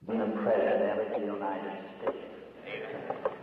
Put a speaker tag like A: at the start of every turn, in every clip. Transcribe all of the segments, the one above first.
A: The President of the United States.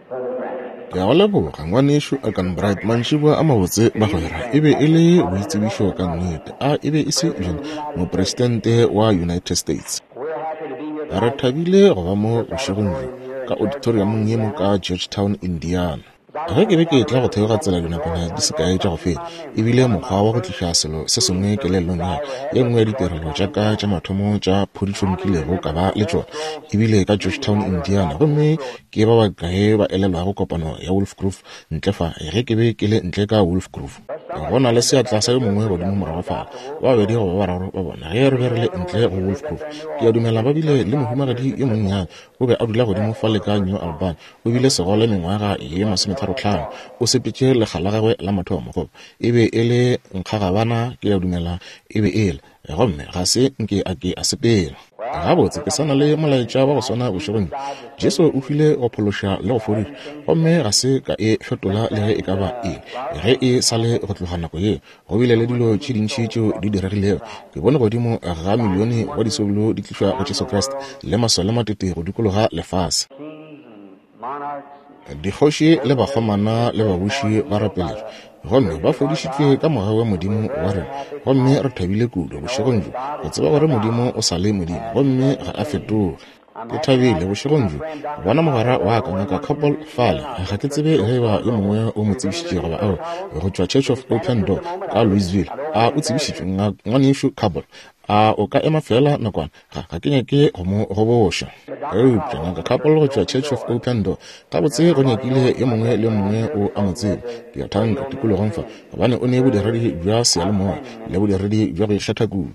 A: Brother Branham.
B: Ke a go leboga, Ngwanešu Arganbright. Mantšiboa a mabotse, bagwera. E be e le boitsebišo ka nnete. A e be e se bjona Mopresidente wa United States?
A: We're happy to be here
B: Re
A: tonight.
B: thabile go ba mo bošegong bjo ka auditoriumong ye mo ka Georgetown, Indiana. Ge ke be ke etla go theoga tsela dinakwana di se kae tša go feta, e bile mokgwa wa go tliša selo se sengwe kelellong ya ka. Ye nngwe ya ditirelo tša ka tša mathomo tša phodišo nkilego ka ba le tšona e bile ka Georgetown, Indiana. Gomme ke ba bakae ba elelwago kopano ya Wolf Grove ntle fa, ge ke be ke le ntle ka Wolf Grove? Go na le seatla sa yo mongwe godimo morago fale, ba babedi goba ba bararo ba bona, ge re be re le ntle go Wolf Grove. Ke a dumela ba bile le mohumagadi yo monnyane, o be a dula godimo fale ka New Albany, o bile segole mengwaga ye masometharotlhano. O sepetše lekga la gagwe la mathomo, goba e be e le nkgagabana, ke a dumela e be e le, gomme ga se nke a ke a sepela. Gabotse, ke sa na le molaetša wa go swana bošegong bjo. Jesu o hwile go phološa le go fodiša, gomme ga se ka e fetola le ge e ka ba eng ge e sa le go tloga nako yeo. Go bile le dilo tše dintši tšeo di diregilego. Ke bone godimo ga milione wa disoulo di tlišwa go Jesu Kriste, le masole matete go dikologa lefase. Dikgoši le bakgomana le babuši ba rapeletšwe, gomme ba fodišitšwe ka mogau wa Modimo wa rena. Gomme re thabile kudu bošegong bjo go tseba gore Modimo o sa le Modimo gomme ga a fetoge. Ke thabile bošegong bjo go bona mogwera wa ka, Ngaka Copple, fale. Ga ke tsebe ge eba yo mongwe o mo tsebišitše goba aowa, go tšwa Church of Open Door ka Louisville. A o tsebišitšwe, Ngwanešu Copple? A o ka ema feela nakwana? Ga, ga ke nyake go mo goboša. Eupša Ngaka Copple go tšwa Church of Open Door, gabotse go nyakile yo mongwe le yo mongwe o a mo tseba, ke a thanka, tikologong fa, gobane o ne bodiredi bja seyalemoya le bodiredi bja go ikgetha kudu.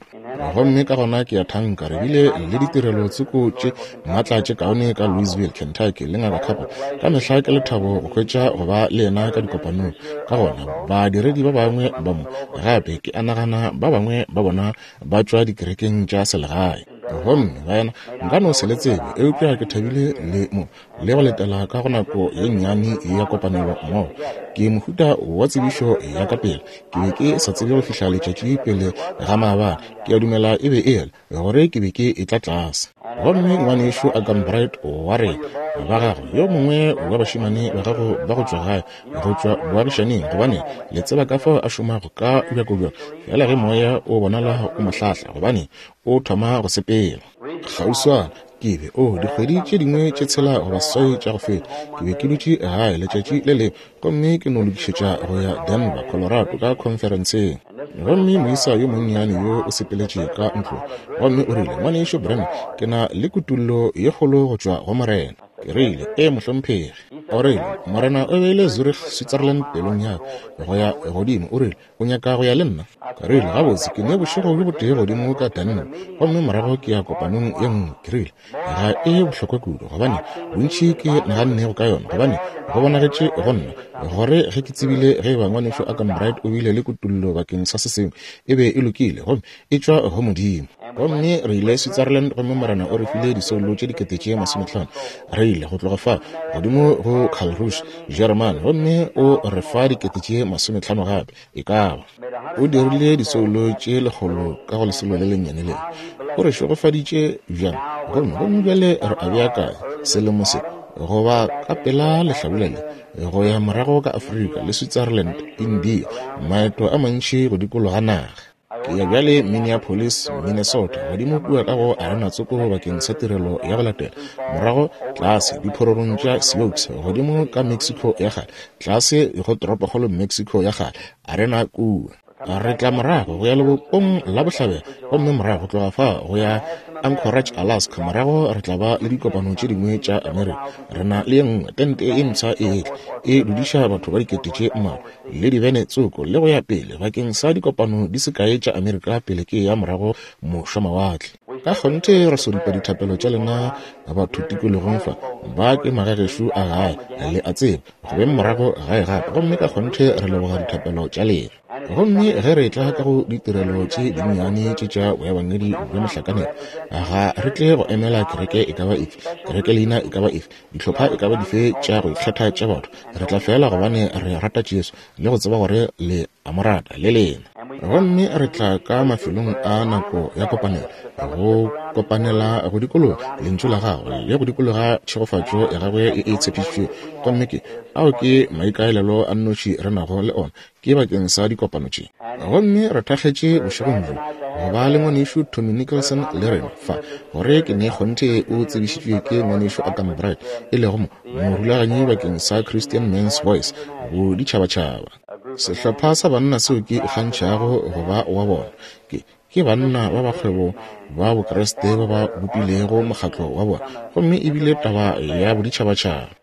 B: Gomme ka gona ke a thanka re bile le ditirelo tsoko tše maatla tše kaone ka Louisville, Kentucky, le Ngaka Copple. Ka mehla ke lethabo go hwetša go ba le yena ka dikopanong. Ka gona badiredi ba bangwe ba mo, gape ke a nagana ba bangwe ba bona ba tšwa dikerekeng tša selegae. Gomme baena, nka no se le tsebe, eupša ke thabile le mo le go letela ka go nako ye nnyane ya kopanelo mmogo. Ke mohuta wa tsebišo ya ka pela. Ke be ke sa tsebe go fihla letšatši pele ga maabane, ke a dumela e be e le, gore ke be ke etla tlase. Gomme ngwanešu Arganbright wa rena, ba gago, yo mongwe wa bašemane ba gago ba go tšwa gae, go tšwa boagišaning, gobane le tseba ka fao a šomago ka bjako bjalo, feela ge moya o bonala o mo hlahla, gobane o thoma go sepela. Kgauswana ke be, oh, dikgwedi tše dingwe tše tshela goba seswai tša go feta, ke be ke dutše gae letšatši le lengwe, gomme ke no lokišetša go ya Denver, Colorado, ka khonferenseng. Gomme moisa yo monnyane yo o sepeletše ka ntlong, gomme o rile, Ngwanešu Branham, ke na le kutollo ye kgolo go tšwa go Morena. Ke rile, Ee, mohlomphegi. O rile, Morena o beile Zurich, Switzerland pelong ya ka, go ya godimo. O rile, O nyaka go ya le nna? Ke rile, Gabotse, ke ne bošego bjo botee godimo ka Denver, gomme morago ke ya kopanong ye nngwe. Ke rile, Ga e bohlokwa kudu, gobane bontši ke nagannego ka yona, gobane go bonagetše go nna gore ge ke tsebile ge eba Ngwanešu Arganbright o bile le kutollo bakeng sa se sengwe, e be e lokile, gomme e tšwa go Modimo. Gomme re ile Switzerland, gomme Morena o re file disoulo tše dikete tše masometlhano. Re ile go tloga fa godimo go Karlsruhe, Jeremane, gomme o re fa dikete tše masometlhano gape. E ka ba o dirile disoulo tše lekgolo ka go lesolo le lennyane le. O re šegofaditše bjang, gomme gomme bjale re a beakanya selemo se goba ka pela lehlabula le go ya morago ka Afrika le Switzerland, India, maeto a mantši go dikologa naga. Ke ya bjale Minneapolis, Minnesota, godimo kua ka go arena tsoko bakeng sa tirelo ya go latela, morago tlase diphororong tša Sioux, godimo ka Mexico ya kgale, tlase go toropokgolo Mexico ya kgale, arena kua. Re tla morago go ya lebopong la bohlabela, gomme morago go tloga fa go ya Anchorage, Alaska, morago re tla ba le dikopano tše dingwe tša Amerika. Re na le ye nngwe tente e mpsha e etla, e dudiša batho ba dikete tše mmalwa, le dibene tsoko le go ya pele bakeng sa dikopano di se kae tša Amerika pele ke ya morago mošwamawatle. Ka kgonthe re soripa dithapelo tša lena batho tikologong fa, ba ke magagešo a gae, le a tseba, go beng morago gae gape, gomme ka kgonthe re leboga dithapelo tša lena. Gomme ge re etla ka go ditirelo tše dinnyane tše tša boebangedi bja mohlakanelo, ga re tle go emela kereke e ka ba efe, kereke leina e ka ba efe, dihlopha e ka ba dife tša go ikgetha tša batho. Re tla feela gobane re rata Jesu le go tseba gore le a mo rata le lena. Gomme re tla ka mafelong a nako ya kopanelo, go kopanela go dikologa Lentšu la Gagwe le go dikologa tšhegofatšo ya Gagwe e e tshepišitšwego. Gomme ke, ao ke maikaelelo a nnoši re nago le ona, ke bakeng sa dikopano tše. Gomme re thakgetše bošegong bjo go ba le Ngwanešu Tommy Nicholson le rena fa, gore ke ne kgonthe o tsebišitšwe ke Ngwanešu Argan Bright, e lego mo, morulaganyi bakeng sa Christian Men's Voice boditšhabatšhaba. Sehlopha sa banna seo ke ikgantšhago go ba wa bona, ke, ke banna ba bakgwebo ba Bokriste ba ba bopilego mokgatlo wa bona, gomme e bile taba ya boditšhabatšhaba.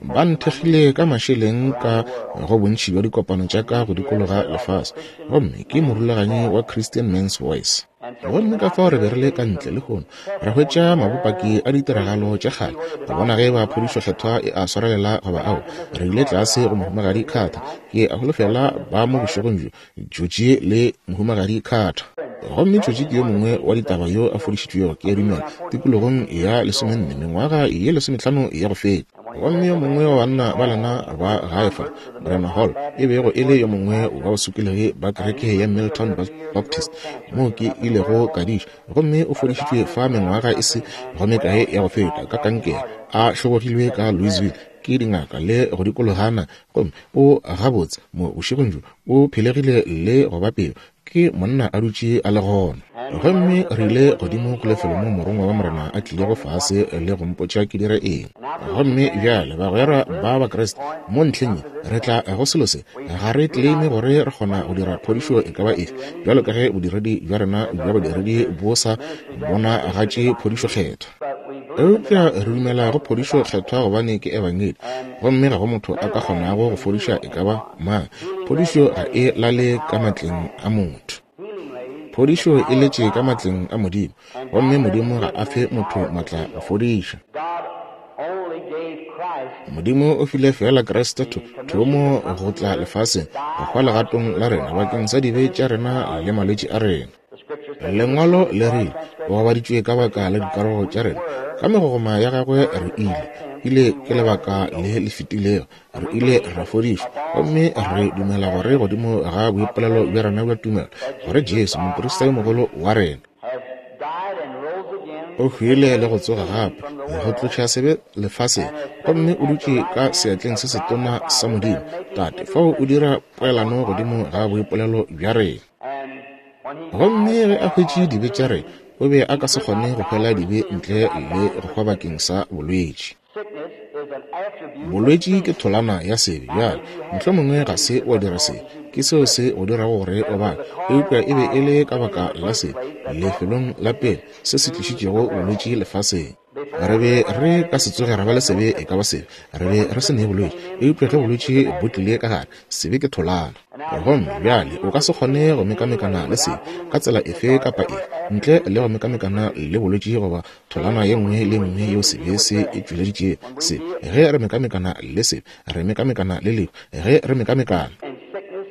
B: Ba nthekgile ka mašeleng ka go bontši bja dikopano tša ka go dikologa lefase, gomme ke morulaganyi wa Christian Men's Voice. Gomme ka fao re be re le ka ntle lehono, ra hwetša mabopaki a ditiragalo tša kgale, go bona ge eba phodišo Kgethwa e a swarelela goba ao. Re ile tlase go Mohumagadi Carter. Ke a holofela ba mo bošegong bjo, Georgie le Mohumagadi Carter. Gomme Georgie ke yo mongwe wa ditaba yo a fodišitšwego, ke a dumela, tikologong ya lesomenne, mengwaga ye lesometlhano ya go feta. Gomme yo mongwe wa banna ba lena ba gae fa, Morena Hall, e bego e le yo mongwe wa basokologi ba kereke ya Milltown Baptist, moo ke ilego ka diša, gomme o fodišitšwe fa mengwaga e se go mekae ya go feta ka kankere, a hlobogilwe ka Louisville ke dingaka le go dikologana, gomme o gabotse mo bošegong bjo, o phelegile le go ba pelo, ke monna a dutše a le gona. Gomme re ile godimo go lefelo moo Morongwa wa Morena a tlilego fase le go mpotša ke dire eng. Gomme bjale, bagwera ba Bakriste, mo ntlheng ye, re tla go selo se. Ga re tleleime gore re kgona go dira phodišo e ka ba efe, bjalo ka ge bodiredi bja rena bja bodiredi bo sa bonagatše phodišo Kgethwa. Eupša re dumela go phodišo Kgethwa gobane ke Ebangedi, gomme ga go motho a ka kgonago go fodiša e ka ba mang. Phodišo ga e lale ka matleng a motho. Phodišo e letše ka matleng a Modimo, gomme Modimo ga a fe motho matla go fodiša. Modimo o file feela Kriste tho, thomo go tla lefaseng, go hwa legatong la rena bakeng sa dibe tša rena le malwetši a rena. Lengwalo le rile, O gobaditšwe ka baka la dikarogo tša rena, ka megogoma ya gagwe re ile. Ile ke lebaka le le fetilego, re ile ra fodišwa. Gomme re dumela gore godimo ga boipolelo bja rena bja tumelo, gore Jesu, moprista yo mogolo wa rena, o hwile le go tsoga gape, go tloša sebe lefaseng, gomme o dutše ka seatleng se setona sa Modimo, Tate, fao o dira poelano godimo ga boipolelo bja rena. Gomme ge a hwetše dibe tša rena, o be a ka se kgone go hwela dibe ntle le go hwa bakeng sa bolwetši. Bolwetši ke tholana ya sebe. Bjale, mohlomongwe ga se wa dira sebe, ke seo se go dirago gore o bale, eupša e be e le ka baka la sebe, lefelong la pele, se se tlišitšego bolwetši lefaseng. Re be re ka se tsoge ra ba le sebe e ka ba sebe, re be re se ne bolwetši, eupša ge bolwetši bo tlile ka gare, sebe ke tholana. Gomme bjale o ka se kgone go mekamekana le sebe ka tsela efe kapa efe ntle le go mekamekana le bolwetši goba tholana ye nngwe le nngwe yeo sebe se e tšweleditšego. Se, ge re mekamekana le sebe, re mekamekana le lehu, ge re mekamekana.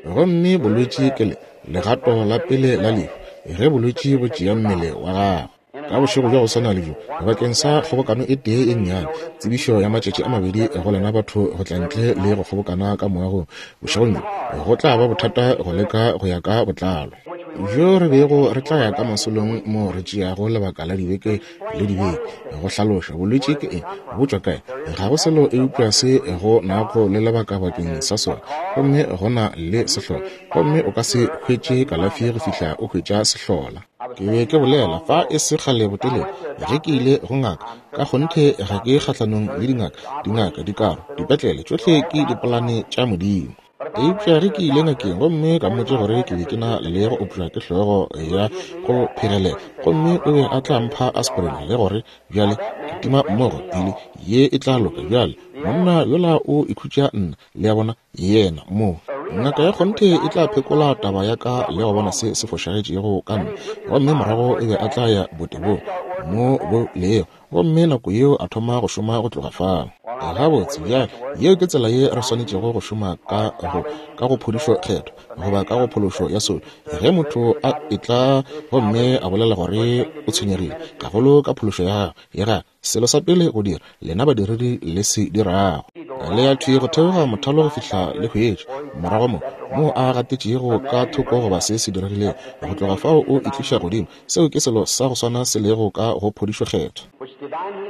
B: Gomme bolwetši ke le, legato la pele la lehu, ge bolwetši bo tšea mmele wa gago. Ka bošego bja go swana le bjo, bakeng sa kgobokano e tee e nnyane, tsebišo ya matšatši a mabedi go lena batho go tla ntle le go kgobokana ka moagong bošegong bjo, go tla ba bothata go leka go ya ka botlalo. Bjo re bego re tla ya ka masolong moo re tšeago lebaka la dibeke le dibeke go hlaloša bolwetši ke eng, bo tšwa kae. Ga go selo eupša se go nago le lebaka bakeng sa sona, gomme go na le sehlola, gomme o ka se hwetše kalafi go fihla o hwetša sehlola. Ke be ke bolela fa e se kgale botelele ge ke ile go ngaka. Ka kgonthe ga ke kgahlanong le dingaka, dingaka, dikaro, dipetlele, tšohle ke dipolane tša Modimo. Eupša ge ke ile ngakeng gomme ka mmotša gore ke be ke na le go opša ke hlogo ya go phegelela, gomme o be a tla mpha aspirin le gore bjale ke tima mmogo pili ye e tla loka. Bjale monna yola o ikhutša nna, le a bona, yena mo. Ngaka ya kgonthe e tla phekola taba ya ka le go bona se se fošagetšego ka nna, gomme morago e be a tla ya botebong mo bo lego. Gomme nako yeo a thoma go šoma go tloga fao. Gabotse, bjale, yeo ke tsela ye re swanetšego go šoma ka go, ka go phodišo Kgethwa, goba ka go phološo ya soulo. Ge motho a etla gomme a bolela gore o tshwenyegile gagolo ka phološo ya gagwe, ya gagwe, selo sa pele go dira, lena badiredi le se dirago. Le ya thwi go theoga mothalo go fihla le hwetša morago mo, moo a gatetšego ka thoko goba se se diregilego. Go tloga fao o e tliša godimo. Seo ke selo sa go swana se lego ka go phodišo Kgethwa.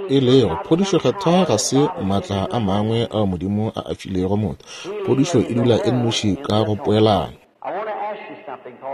B: E lego, phodišo Kgethwa ga se maatla a mangwe ao Modimo a a filego motho. Phodišo e dula e nnoši ka go poelano.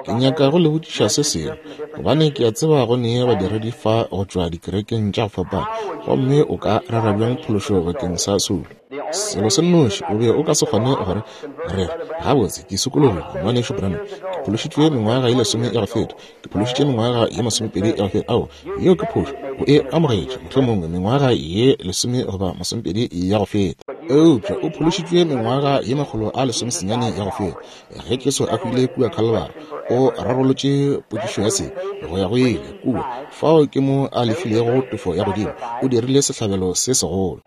B: Ke nyaka go le botšiša se sengwe, gobane ke a tseba go ne badiredi fa go tšwa dikerekeng tša go fapana, gomme o ka rera bjang phološo bakeng sa soulo? Selo se nnoši, o be o ka se kgone gore re re, Gabotse, ke sokologile, Ngwanešu Branham. Ke phološitšwe mengwaga ye lesome ya go feta. Ke phološitše mengwaga ye masomepedi ya go feta. Ao, yeo ke phošo. O e amogetše, mohlomongwe, mengwaga ye lesome goba masomepedi ya go feta. Eupša o phološitšwe mengwaga ye makgolo a lesomesenyane ya go feta. Ge Jesu a hwile kua Khalibari, o rarolotše potšišo ya sebe go ya go ile kua. Fao ke mo a lefilego tefo ya godimo. O dirile sehlabelo se segolo.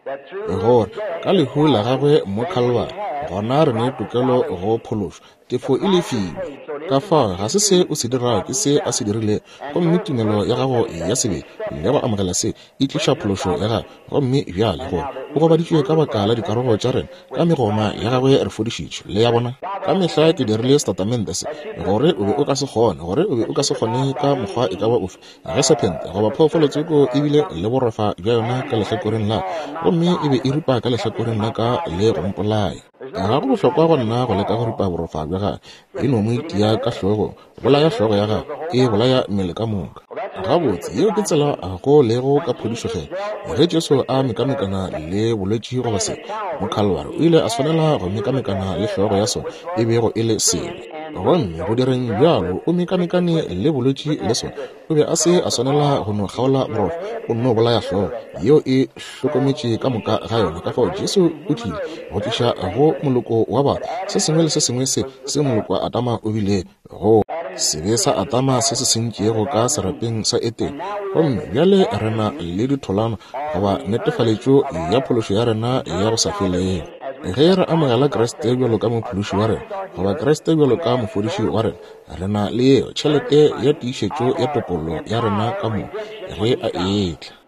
B: Gore, ka lehu la gagwe mo Khalibari, gona re ne tokelo go phološwa. Tefo e lefilwe. Ka fao ga se se o se dirago, ke se a se dirilego. Gomme tumelo ya gago ya sebele le go amogela se e tliša phološo ya gago. Gomme bjale gore o gobaditšwe ka baka la dikarogo tša rena, ka megoma ya gagwe re fodišitšwe. Le ya bona? Ka mehla ke dirile setatamente se, gore o be o ka se kgone, gore o be o ka se kgone ka mokgwa e ka ba ofe, ge sephente goba phoofolo tsoko e bile le borofa bja yona ka lehlakoreng la ka, gomme e be e ripa ka lehlakoreng la ka le go mpolaya. Ga go bohlokwa go nna go leka go ripa borofa bja gagwe, e no mo itia ka hlogong, bolaya hlogo ya gagwe, e bolaya mmele ka moka. Gabotse, yeo ke tsela go lego ka phodišo Kgethwa. Ge Jesu a mekamekana le bolwetši goba sebe mo Khalwari, o ile a swanela go mekamekana le hlogo ya sona, e bego e le sebe. Gomme go direng bjalo, o mekamekane le bolwetši le sona. O be a se a swanela go no kgaola borofa, o nno bolaya hlogo yeo e hlokometše ka moka ga yona. Ka fao Jesu o tlile go tliša go moloko wa batho se sengwe le se sengwe se se moloko wa Adama o bile go sebe sa Adama se se sentšego ka serapeng sa Etene. Gomme bjale re na le ditholwana goba netefaletšo ya phološo ya rena ya go sa felego. Ge re amogela Kriste bjalo ka mophološi wa rena goba Kriste bjalo ka mofodiši wa rena, Re na le yeo tšhelete ya tiišetšo ya topollo ya rena ka moka ge a etla.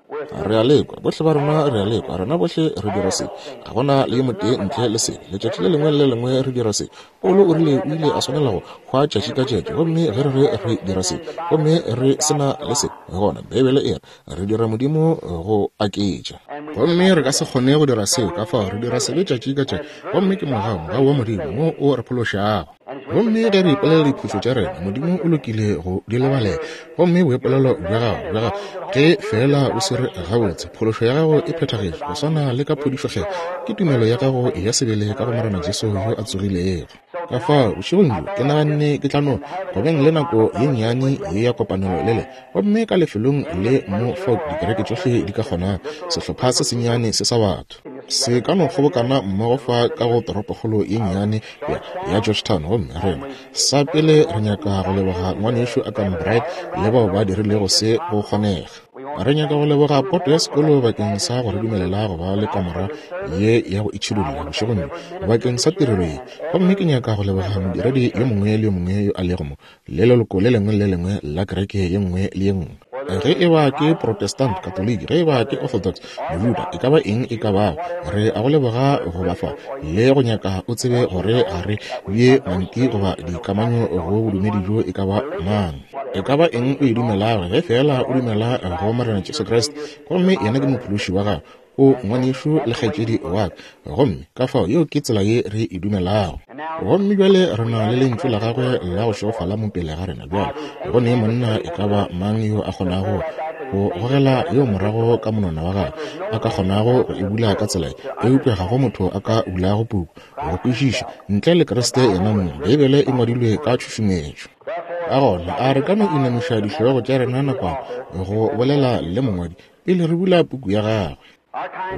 B: Re a lekwa, bohle ba rena re a lekwa, rena bohle re dira se. Ga gona le yo motee ntle le sebe. Letšatši le lengwe le le lengwe re dira se. Paulo o rile o ile a swanela go hwa tšatši ka tšatši. Gomme ge re re re dira se, gomme re se na le se, gona Beibele e re re dira Modimo go aketša. Gomme re ka se kgone go dira seo, ka fao re dira sebe tšatši ka tšatši. Gomme ke mogau, mogau wa Modimo wo o re phološago. Gomme ge re ipolela diphošo tša rena, Modimo o lokile go di lebalela. Gomme boipolelo bja gago, bja gago, ge feela o se re gabotse, phološo ya gago e phethagetše, go swana le ka phodišo Kgethwa, ke tumelo ya gago ya sebele ka go Morena Jesu yo a tsogilego. Ka fao, bošegong bjo, ke naganne ke tla no go beng le nako ye nnyane ye ya kopanelo le le, gomme ka lefelong le mo fao dikereke tšohle di ka kgonago, sehlopha se sennyane se sa batho se ka no kgobokana mmogo fa ka go toropokgolo ye nnyane ya, ya Georgetown. Gomme rena sa pele re nyaka go leboga ngwanešu Akam Bright le bao ba dirilego se go kgonega. Re nyaka go leboga poto ya sekolo bakeng sa go re dumelela go ba le kamora ye ya go itšhidulla bošegong bjo bakeng sa tirelo ye. Gomme ke nyaka go leboga modiredi yo mongwe le yo mongwe yo a lego mo, le leloko le lengwe le le lengwe la kereke ye nngwe le ye nngwe. Ge e ba ke Protestant, Katoliki, ge e ba ke Orthodox, Mojuda, e ka ba eng e ka bago, re a go leboga go ba fa le go nyaka o tsebe gore ga re bee manti goba dikamanyo go bodumedi bjo e ka ba mang. E ka ba eng o e dumelago, ge feela o dumela go Morena Jesu Kriste, gomme yena ke Mophološi wa gago, o ngwanešu le kgaetšedi wa ka. Gomme ka fao yeo ke tsela ye re e dumelago. Gomme bjale re na le Lentšu la Gagwe la go šegofala mo pele ga rena bjale. Go ne monna e ka ba mang yo a kgonago go gogela yeo morago ka monwana wa gagwe, a ka kgonago go e bula ka tsela ye, eupša ga go motho a ka bulago puku go kwešiša ntle le Kriste yena mong. Beibele e ngwadilwe ka tšhušumetšo. Ka gona a re ka no inamiša dihlogo tša rena nakwana go bolela le mongwadi pele re bula puku ya gagwe.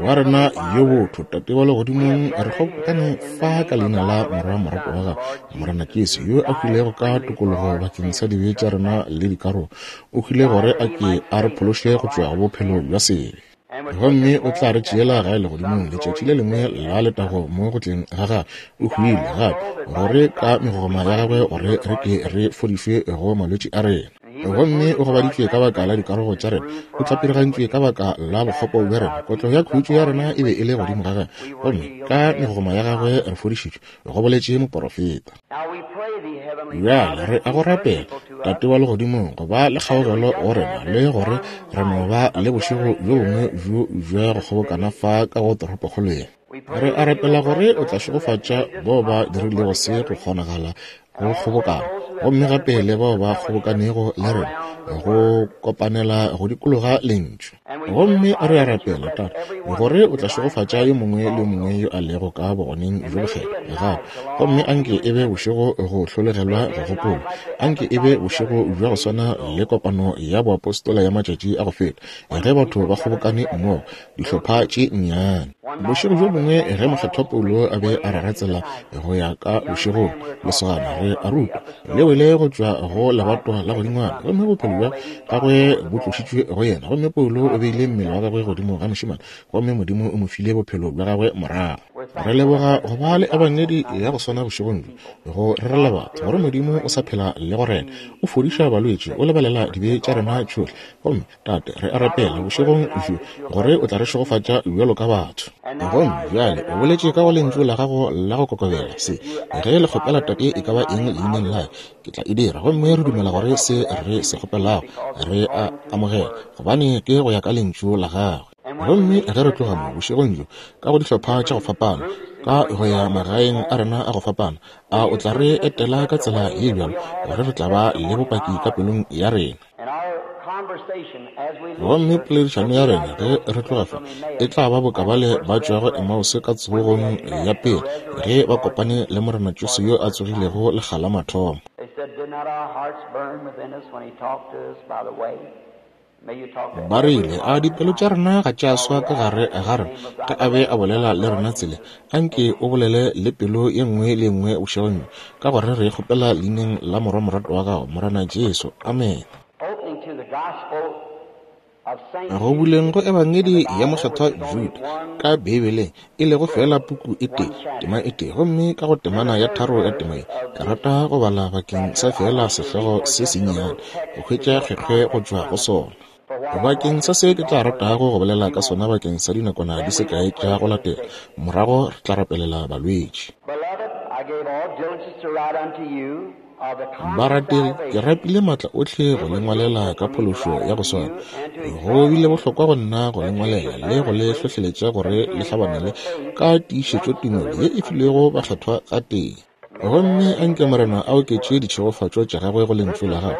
B: Wa rena yo botho, Tate wa Legodimong, re kgobokane fa ka leina la Morwa morato wa gago, Morena Jesu, yo a hwilego ka tokologo bakeng sa dibe tša rena le dikarogo. O hwile gore a ke a re phološe go tšwa go bophelo bja sebe. Gomme o tla re tšeela gae legodimong letšatši le lengwe la letago mo go tleng ga gagwe. O hwile gape gore ka megogoma ya gagwe gore re ke re fodišwe go malwetši a rena. Gomme o gobaditšwe ka baka la dikarogo tša rena, o tlapirigantšwe ka baka la bokgopo bja rena, kotlo ya khutšo ya rena e be e le godimo ga gagwe, gomme ka megogoma ya gagwe re fodišitšwe, go boletše moporofeta. Bjale re a go rapela, Tate wa Legodimong, go ba le kgaogelo go rena, le gore re no ba le bošego bjo bongwe bjo bja go kgobokana fa ka go toropokgolo ye. Re a rapela gore o tla šegofatša bao ba dirilego se go kgonagala go kgobokana, gomme gape le bao ba kgobokanego le rena go kopanela go dikologa Lentšu. Gomme re a rapela, Tate, gore o tla šegofatša yo mongwe le yo mongwe yo a lego ka bogoneng bjo bokgethwa gape. Gomme anke e be bošego go hlologelwa go gopola. Anke e be bošego bja go swana le kopano ya boapostola ya matšatši a go feta, ge batho ba kgobokane mmogo, dihlopha tše nnyane. Bošego bjo bongwe ge Mokgethwa Paulo a be a rera tsela go ya ka bošegong, lesogana re a rutwa le wele go tšwa go lebatwa la godingwana, gomme bophelo bja gagwe bo tlošitšwe go yena, gomme Paulo o beile mmele wa gagwe godimo ga mošemane, gomme Modimo o mo file bophelo bja gagwe morago. Re leboga go ba le ebangedi ya go swana bošegong bjo, go rerela batho gore Modimo o sa phela le go rena, o fodiša balwetši, o lebalela dibe tša rena tšohle, gomme Tate, re a rapela bošegong bjo gore o tla re šegofatša bjalo ka batho. Gomme bjale o boletše ka go lentšu la gago la go kokobela se, ge le kgopela Tate e ka ba eng leineng la ke tla e dira. Gomme re dumela gore se re se kgopelago re a amogela, gobane ke go ya ka lentšu la gagwe. Gomme ge re tloga mo bošegong bjo ka go dihlopha tša go fapana, ka go ya magaeng a rena a go fapana, a o tla re etela ka tsela ye bjalo gore re tla ba le bopaki ka pelong ya rena. Gomme poledišano ya rena ge re tloga fa e tla ba boka bale ba tšwago Emause ka tsogong ya pele ge ba kopane le Morena Jesu yo a tsogilego lekga la mathomo. Ba rile, A dipelo tša rena ga tša swa ka gare ga rena ge a be a bolela le rena tseleng? Anke o bolele le pelo ye nngwe le ye nngwe bošegong bjo, ka gore re e kgopela leineng la Morwa moratwa wa gago, Morena Jesu. Amene. Go buleng go Ebangedi ya Mokgethwa Juda ka Beibeleng, e lego feela puku e tee, tema e tee, gomme ka go temana ya tharo ya tema ye, ke rata go bala bakeng sa feela sehlogo se sennyane, go hwetša kgekgwe go tšwa go sona. Bakeng sa se ke tla ratago go bolela ka sona bakeng sa dinakwana di se kae tša go latela, morago re tla rapelela balwetši. Barategi, ke rapile maatla ohle go le ngwalela ka phološo ya go swana. Go bile bohlokwa go nna go le ngwalela le go le hlohleletša gore le hlabanele ka tiišetšo tumelo ye e filwego bakgethwa gatee. Gomme anke Morena a oketše ditšhegofatšo tša gagwe go Lentšu la gagwe,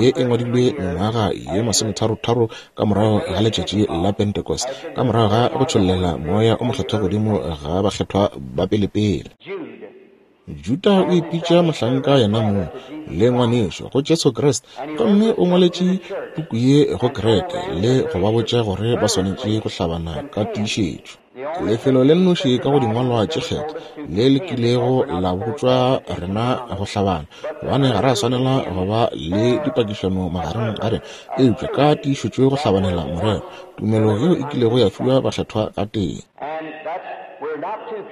B: ye e ngwadilwe mengwaga ye masometharotharo ka morago ga letšatši la Pentecost, ka morago ga go tšhollela Moya o Mokgethwa godimo ga bakgethwa ba pelepele. Juda o ipitša mohlanka yena mong le ngwanešo go Jesu Kriste, gomme o ngwaletše puku ye go kereke le go ba botša gore ba swanetše go hlabana ka tiišetšo. Lefelo le nnoši ka go dingwalwa tše kgethwa le le kilego la botšwa rena go hlabana, gobane ga re a swanela go ba le dipakišano magareng ga rena, eupša ka tiišetšo go hlabanela morero, tumelo yeo e kilego ya fiwa bakgethwa ka tee.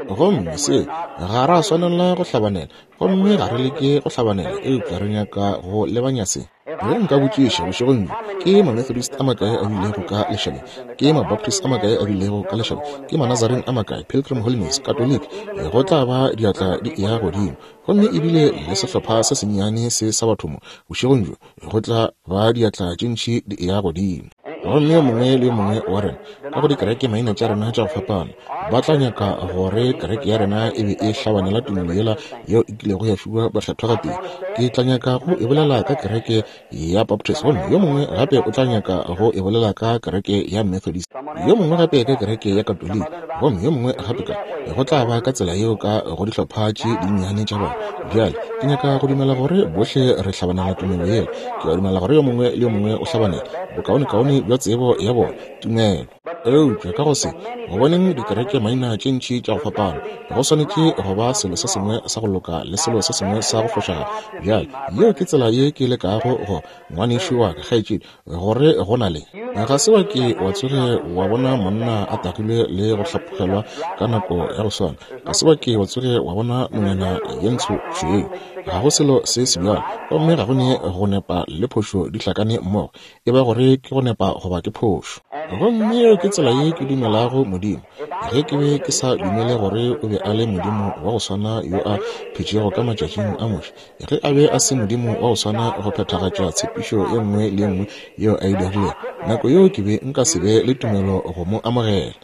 B: Gomme se, ga ra swanela go hlabanela, gomme ga re leke go hlabanela, eupša re nyaka go lebanya se. Ge nka botšiša bošegong bjo, ke Mamethodist a makae a bilego ka lešabeng, ke Mabaptist a makae a bilego ka lešabeng, ke Manazarene a makae, Pilgrim Holiness, Katoliki, go tla ba diatla di eya godimo. Gomme ebile le sehlopha se sennyane se sa batho mo, bošegong bjo, go tla ba diatla tše ntši di eya godimo. Gomme yo mongwe le yo mongwe wa rena, ka go dikereke maina tša rena tša go fapana, ba tla nyaka gore kereke ya rena e be e hlabanela tumelo yela yeo e kilego ya fiwa bakgethwa gatee. Ke tla nyaka go e bolela ka kereke ya Baptist, gomme yo mongwe gape o tla nyaka go e bolela ka kereke ya Methodist, yo mongwe gape ka kereke ya Katoliki, gomme yo mongwe gape ka. Go tla ba ka tsela yeo ka go dihlopha tše dinnyane tša bona. Bjale, ke nyaka go dumela gore bohle re hlabanela tumelo yela. Ke a dumela gore yo mongwe le yo mongwe o hlabanela bokaonekaone bja tsebo ya bona, tumelo. Eupša ka go se, go boneng dikereke maina tše ntši tša go fapana, go swanetše go ba selo se sengwe sa go loka le selo se sengwe sa go fošagala. Bjale, yeo ke tsela ye ke lekago go, ngwanešu wa ka, kgaetšedi, gore go na le. Ga se wa ke wa tsoge wa bona monna a tagilwe le go hlaphogelwa ka nako ya go swana. Ga se wa ke wa tsoge wa bona nonyana ye ntsho tšhweu. Ga go selo se sebjalo, gomme ga go ne go nepa le phošo di hlakane mmogo. E ba gore ke go nepa goba ke phošo. Gomme yeo ke tsela ye ke dumelago Modimo. Ge ke be ke sa dumele gore o be a le Modimo wa go swana yo a phetšego ka matšatšing a Moshe, ge a be a se Modimo wa go swana go phethagatša tshepišo ye nngwe le ye nngwe yeo a e dirilego, nako yeo ke be nka se be le tumelo go mo amogela.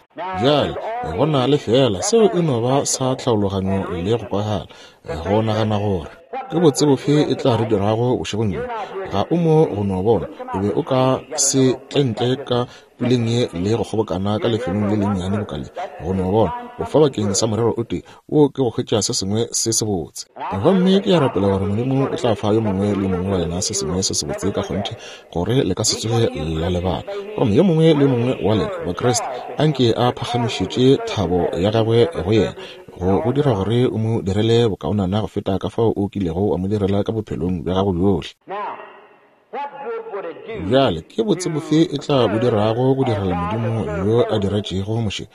B: Bjale, go na le feela seo e no ba sa tlhaologanyo le go kwagala, go nagana gore ke botse bofe e tla re dirago bošegong bjo. Ga o mo go no bona, o be o ka se tle ntle ka puleng ye le go kgobokana ka lefelong le lennyane boka le, go no bona, o fa bakeng sa morero o tee, wo ke go hwetša se sengwe se sebotse. Gomme ke a rapela gore Modimo o tla fa yo mongwe le yo mongwe wa lena se sengwe se sebotse ka kgonthe, gore le ka se tsoge la lebala. Gomme yo mongwe le yo mongwe wa lena Bakriste, anke a phagamišetše thabo ya gagwe go yena, go go dira gore o mo direle bokaonana go feta ka fao o kilego wa mo direla ka bophelong bja gago bjohle. Bjale, ke botse bofe e tla bo dirago go direla Modimo yo a diretšego Moshe,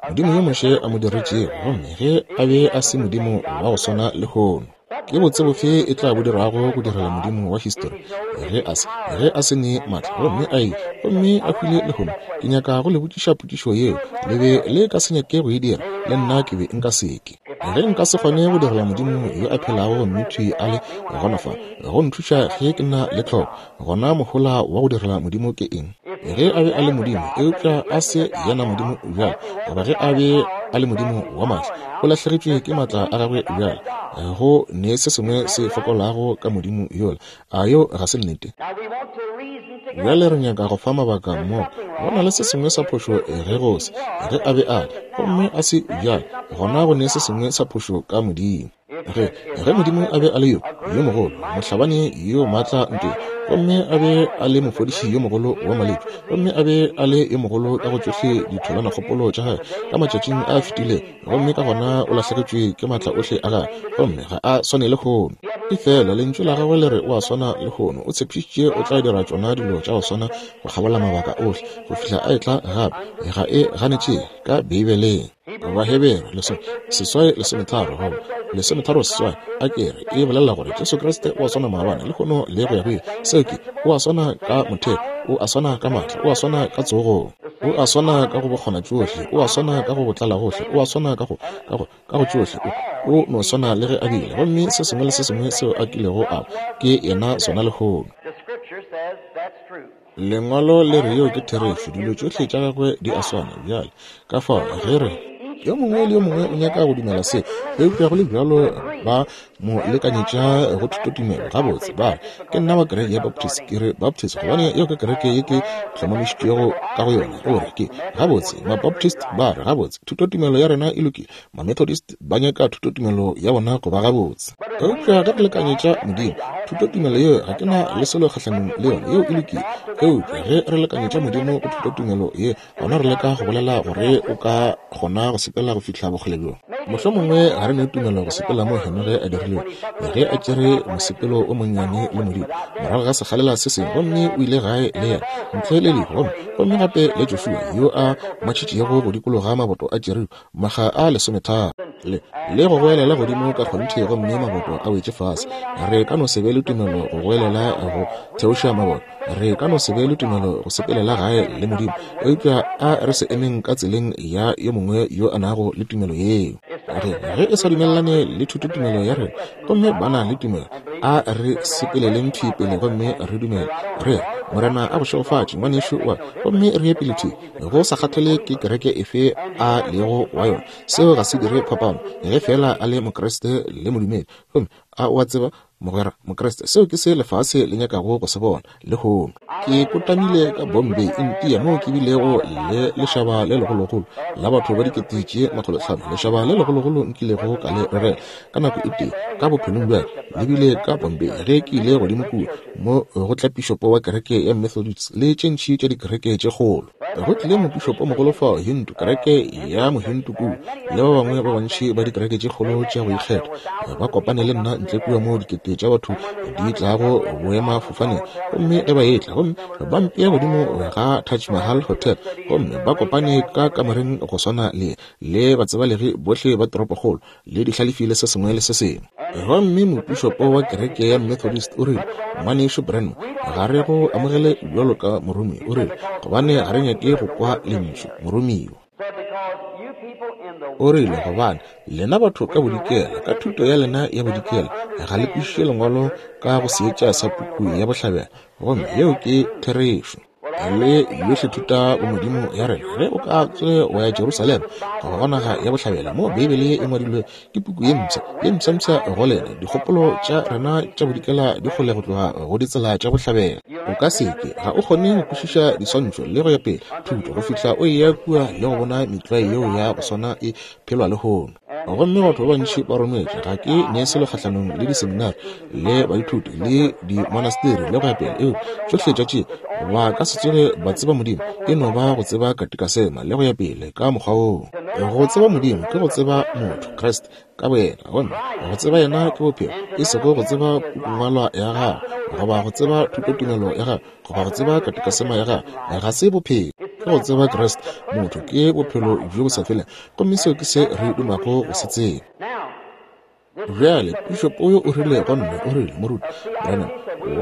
B: Modimo yo Moshe a mo diretšego, gomme ge a be a se Modimo wa go swana lehono? Ke botse bofe e tla bo dirago go direla Modimo wa histori ge a se, ge a se ne maatla gomme a ile gomme a hwile lehono? Ke nyaka go le botšiša potšišo yeo. Le be le ka se nyake go e dira, le nna ke be nka se ke. Ge nka se kgone go direla Modimo yo a phelago gomme thwi a le gona fa go nthuša ge ke na le tlhoko, gona mohola wa go direla Modimo ke eng? Ge a be a le Modimo, eupša a se yena Modimo bjale, goba ge a be a le Modimo wa maatla, o lahlegetšwe ke maatla a gagwe bjale. Go ne se sengwe se fokolago ka Modimo yola. A yeo ga se nnete? Bjale re nyaka go fa mabaka mmogo. Go na le se sengwe sa phošo ge go se, ge a be a le, gomme a se bjale, gona go ne se sengwe sa phošo ka Modimo. Ge, ge Modimo a be a le yo, yo mogolo, mohlabani yo maatla ntweng, gomme a be a le mofodiši yo mogolo wa malwetši, gomme a be a le yo mogolo ka go tšohle ditholanakgopolo tša gagwe ka matšatšing a fetilego, gomme ka gona o lahlegetšwe ke maatla ohle a gagwe, gomme ga a swane lehono. Efela Lentšu la gagwe le re o a swana lehono. O tshepišitše o tla dira tšona dilo tša go swana go kgabola mabaka ohle go fihla a etla gape. Ga e ganetšege ka Beibeleng. Baheberu lesome seswai lesometharo goba lesometharo seswai a ke re e bolela gore Jesu Kriste o a swana maabane lehono le go ya go ile. Seo ke, o a swana ka motheo, o a swana ka maatla, o a swana ka tsogong. O a swana ka go bokgona tšohle, o a swana ka go botlala gohle, o a swana ka go, ka go, ka go tšohle. O, o no swana le ge a bile. Gomme se sengwe le se sengwe seo a kilego a ba, ke yena sona lehono. Lengwalo le re yeo ke therešo, dilo tšohle tša gagwe di a swana. Bjale, ka fao, ge re. Yo mongwe le yo mongwe o nyaka go dumela se, eupša go le bjalo ba mo lekanyetša go thutotumelo. Gabotse, ba re, Ke nna wa kereke ya Baptist. Ke re Baptist gobane yeo ke kereke ye ke hlomamišitšwego ka go yona. O re, Ke, gabotse, Mabaptist ba re, Gabotse, thutotumelo ya rena e lokile. Mamethodist ba nyaka thutotumelo ya bona go ba gabotse. Eupša ge re lekanyetša Modimo, thutotumelo yeo ga ke na le selo kgahlanong le yona, yeo e lokile. Eupša ge re lekanyetša Modimo go thutotumelo ye, gona re leka go bolela gore o ka kgona go sepela go fihla bokgole bjo. Mohlomongwe ga re ne tumelo go sepela mo Henoge a dirilego ge a tšere mosepelo o monnyane le Modimo morago ga sekgalela se sengwe, gomme o ile gae le yena ntle le lehu, gomme, gomme gape le Joshua yo a matšhitšego go dikologa maboto a Jeriko makga a lesometharo le, le go goelela godimo ka kgonthe gomme maboto a wetše fase. Re ka no se be le tumelo go goelela go theoša maboto. Re ka no se be le tumelo go sepelela gae le Modimo, eupša a re se emeng ka tseleng ya yo mongwe yo a nago le tumelo yeo. Re, ge e sa dumelelane le thutotumelo ya rena, gomme ba na le tumelo, a re sepeleleng thwi pele gomme re dumele. Re re, Morena a go šegofatše, ngwanešu wa, gomme re ye pele thwi, go sa kgathale ke kereke efe a lego wa yona. Seo ga se dire phapano, ge feela a le Mokriste le modumedi. Gomme a o a tseba, Mogwera Mokriste, seo ke se lefase le nyakago go se bona lehono. Ke kotamile ka Bombay, India, moo ke bilego le lešaba le legologolo la batho ba dikete tše makgolotlhano, lešaba le legologolo nkilego ka le rerela ka nako e tee ka bophelong bja ka, le bile ka Bombay ge ke ile godimo kua mo go tla pišopo wa kereke ya Methodist le tše ntši tša dikereke tše kgolo. Go tlile mopišopomogolo fao, Hindu, kereke ya Mohindu kua, le ba bangwe ba bantši ba dikereke tše kgolo tša go ikgetha, ba kopane le nna ntle kua moo dikete tša batho di tlago boemafofaneng. Gomme ge ba etla, gomme ba mpea godimo ga Taj Mahal Hotel, gomme ba kopane ka kamoreng go swana le, le batsebalegi bohle ba toropokgolo, le dihlalefi le se sengwe le se sengwe. Gomme mopišopo wa kereke ya Methodist o rile, Ngwanešu Branham, ga re go amogele bjalo ka moromiwa, o rile, gobane ga re nyake go kwa lentšu moromiwa. O rile, gobane lena batho ka bodikela, ka thuto ya lena ya bodikela, ga le kwešiše Lengwalo ka go seetša sa puku ya bohlabela, gomme yeo ke therešo. Le yohle thuta bomodimo ya rena, ge o ka tsoge wa ya Jerusalema goba go naga ya bohlabela moo Beibele e ngwadilwe, ke puku ye mpsha, ye mpshampsha go lena. Dikgopolo tša rena tša bodikela di kgole go tloga go ditsela tša bohlabela. O ka se ke, ga o kgone go kwešiša diswantšho le go ya pele, thuto, go fihla o eya kua le go bona metlwae yeo ya go swana e phelwa lehono. Gomme batho ba bantši ba rometše, ga ke ne selo kgahlanong le diseminari le baithuti le dimonasteri le go ya pele, eupša tšohle tša tše ba ka se tsoge ba tseba Modimo, e no ba go tseba katikasema le go ya pele ka mokgwa woo. Go tseba Modimo ke go tseba motho, Kriste ka boyena, gomme go tseba yena ke bophelo, e sego go tseba pukungwalwa ya gagwe goba go tseba thutotumelo ya gagwe goba go tseba katikasema ya gagwe, ga se bophelo. Ke go tseba Kriste motho ke bophelo bjo bo sa felego, gomme seo ke se re dumago go se tseba. Bjale, pišopo yo o rile go nna, o rile, Moruti Branham